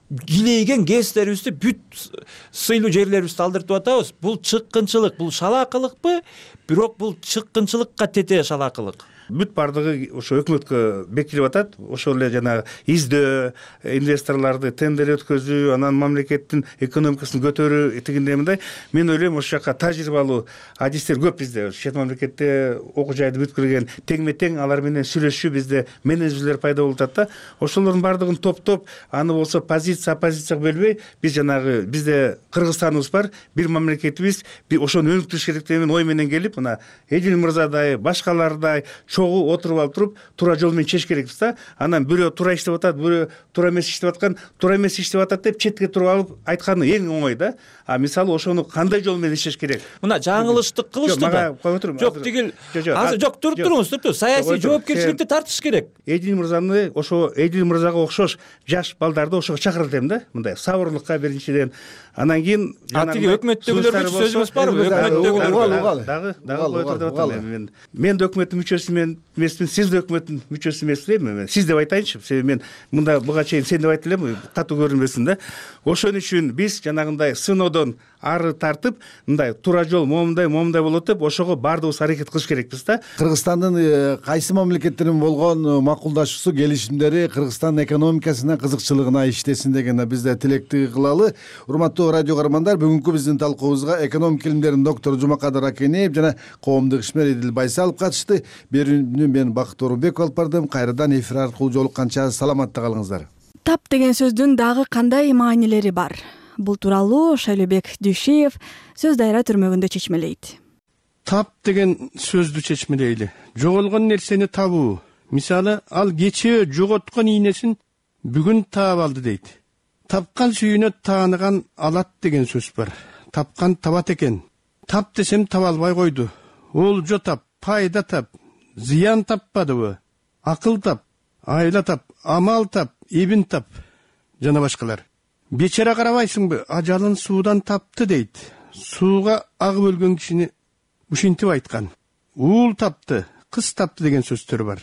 килейген гэстерибизди, бүт сыйлуу жерлерибизди алдыртып атабыз? Бул чыккынчылык, бул шалаакылыкпы? Бирок бул чыккынчылыкка тете шалаакылык. Бүт бардыгы ошо өкмөткө бекитилип атат. Ошол эле жанагы издөө, инвесторлорду тендер өткөзүү, анан мамлекеттин экономикасын көтөрүү тигиндей мындай. Мен ойлойм, ошол жака тажрыйбалуу адистер көп бизде. Чет мамлекетте окуу жайды бүткүргөн теңме-тең алар менен сүйлөшүү бизде менеджерлер пайда болуп атат да. Ошолордун бардыгын топтоп, аны болсо позиция оппозицияга бөлбөй, биз жанагы бизде Кыргызстаныбыз бар, бир мамлекетибиз, ошону өнүктүрүш керек деген ой менен келип, мына Эдил мырзадай, башкалардай чогуу отуруп алып туруп, туура жол менен чечиш керекпиз да. Анан бирөө туура иштеп атат, бирөө туура эмес иштеп аткан, туура эмес иштеп атат деп четке туруп алып айтканы эң оңой да. А мисалы ошону кандай жол менен иштеш керек? Мына жаңылыштык кылышты да. Жок, тигил азыр жок, туруп туруңуз, туруп туруңуз. Саясий жоопкерчиликти тартыш керек. Эдил мырзаны ошо Эдил мырзага окшош жаш балдарды ошого чакырат элем да. Мындай сабырлыкка биринчиден. Анан кийин тиги өкмөттөгүлөргө сөзүбүз барбы? Өкмөттөгүлөр дагы дагы койтур деп атам мен. Мен да өкмөттүн мүчөсү эмесмин, сиз да өкмөттүн мүчөсү эмессизби? Сиз деп айтайынчы. Себеби мен мында буга чейин сен деп айтып элем, катуу көрүнбөсүн да. Ошон үчүн биз жанагындай сынодон ары тартып, мындай туура жол момундай, момундай болот деп, ошого баардыгыбыз аракет кылыш керекпиз да. Кыргызстандын кайсы мамлекеттердин болгон макулдашуусу, келишимдери Кыргызстандын экономикасына, кызыкчылыгына иштесин деген биз да тилектүү кылалы. Урматтуу радио каармандар, бүгүнкү биздин талкуубузга экономика илимдеринин доктору Жумакадыр Акенеев жана коомдук ишмер Эдил Байсалов катышты. Берүүнү мен Бакыт Орунбеков алып бардым. Кайрадан эфир аркылуу жолукканча саламатта калыңыздар. Тап деген сөздүн дагы кандай маанилери бар? Бул тууралуу Шайлообек Дүйшеев сөз дайра түрмөгүндө чечмелейт. Тап деген сөздү чечмелейли. Жоголгон нерсени табуу. Мисалы, ал кечээ жоготкон ийнесин бүгүн таап алды дейт. Тапкан сүйүнө тааныган алат деген сөз бар. Тапкан табат экен. Тап десем таба албай койду. Олжо тап, пайда тап, зыян таппадыбы? Акыл тап, айла тап, амал тап, эбин тап жана башкалар. Бечара карабайсыңбы, ажалын суудан тапты дейт. Сууга агып өлгөн кишини ушинтип айткан. Уул тапты, кыз тапты деген сөздөр бар.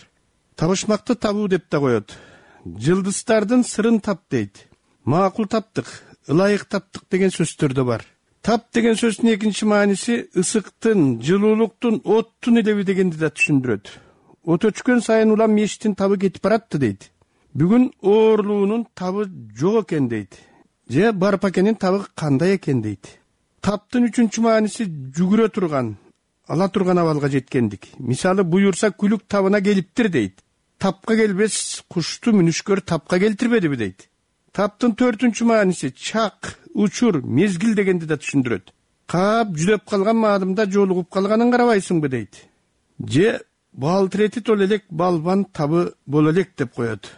Табышмакты табуу деп да коет. Жылдыздардын сырын тап дейт. Макул таптык, ылайык таптык деген сөздөр да бар. Тап деген сөздүн экинчи мааниси ысыктын, жылуулуктун, оттун элеби дегенди да түшүндүрөт. От өчкөн сайын улам мештин табы кетип баратты дейт. Бүгүн оорлуунун табы жок экен дейт. Же барпакенин табы кандай экен дейт. Таптын үчүнчү мааниси жүгүрө турган, ала турган абалга жеткендик. Мисалы, буюрса күлүк табына келиптир дейт. Тапка келбес кушту мүнүшкөр тапка келтирбедиби дейт. Таптын төртүнчү мааниси чак, учур, мезгил дегенди да түшүндүрөт. Каап жүдөп калган маалымда жолугуп калганын карабайсыңбы дейт. Же бал тирети тол элек балбан табы боло элек деп коет.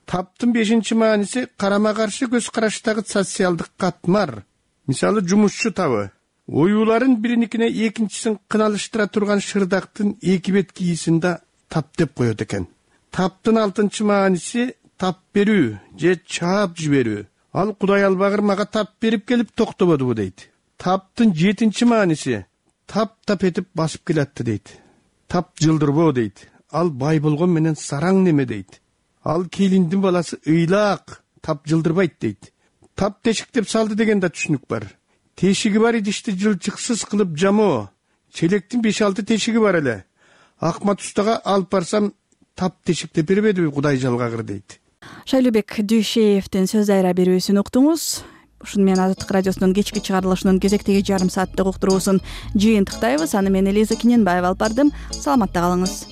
Таптын бешинчи мааниси карама каршы көз караштагы социалдык катмар. Мисалы, жумушчу табы. Оюуларын бириникине экинчисин кыналыштыра турган шырдактын эки бетки ийисин да тап деп коет экен. таптын алтынчы мааниси тап берүү же чаап жиберүү. Ал Кудай албагыр мага тап берип келип токтободубу дейт. Таптын жетинчи мааниси таптап этип басып келатты дейт. Тап жылдырбоо дейт. Ал бай болгон менен сараң неме дейт. Ал келиндин баласы ыйлаак, тап жылдырбайт дейт. Тап тешиктеп салды деген да түшүнүк бар. Тешиги бар идишти жылчыксыз кылып жамоо. Челектин беш алты тешиги бар эле. Акмат устага алып барсам тап тешиктеп бербедиби Кудай жалгагыр дейт. Шайлообек Дүйшеевдин сөз айра берүүсүн уктуңуз. Ушуну менен Азаттык радиосунун кечки чыгарылышынын кезектеги жарым сааттык уктуруусун жыйынтыктайбыз. Аны мен Элиза Кененбаева алып бардым. Саламатта калыңыз.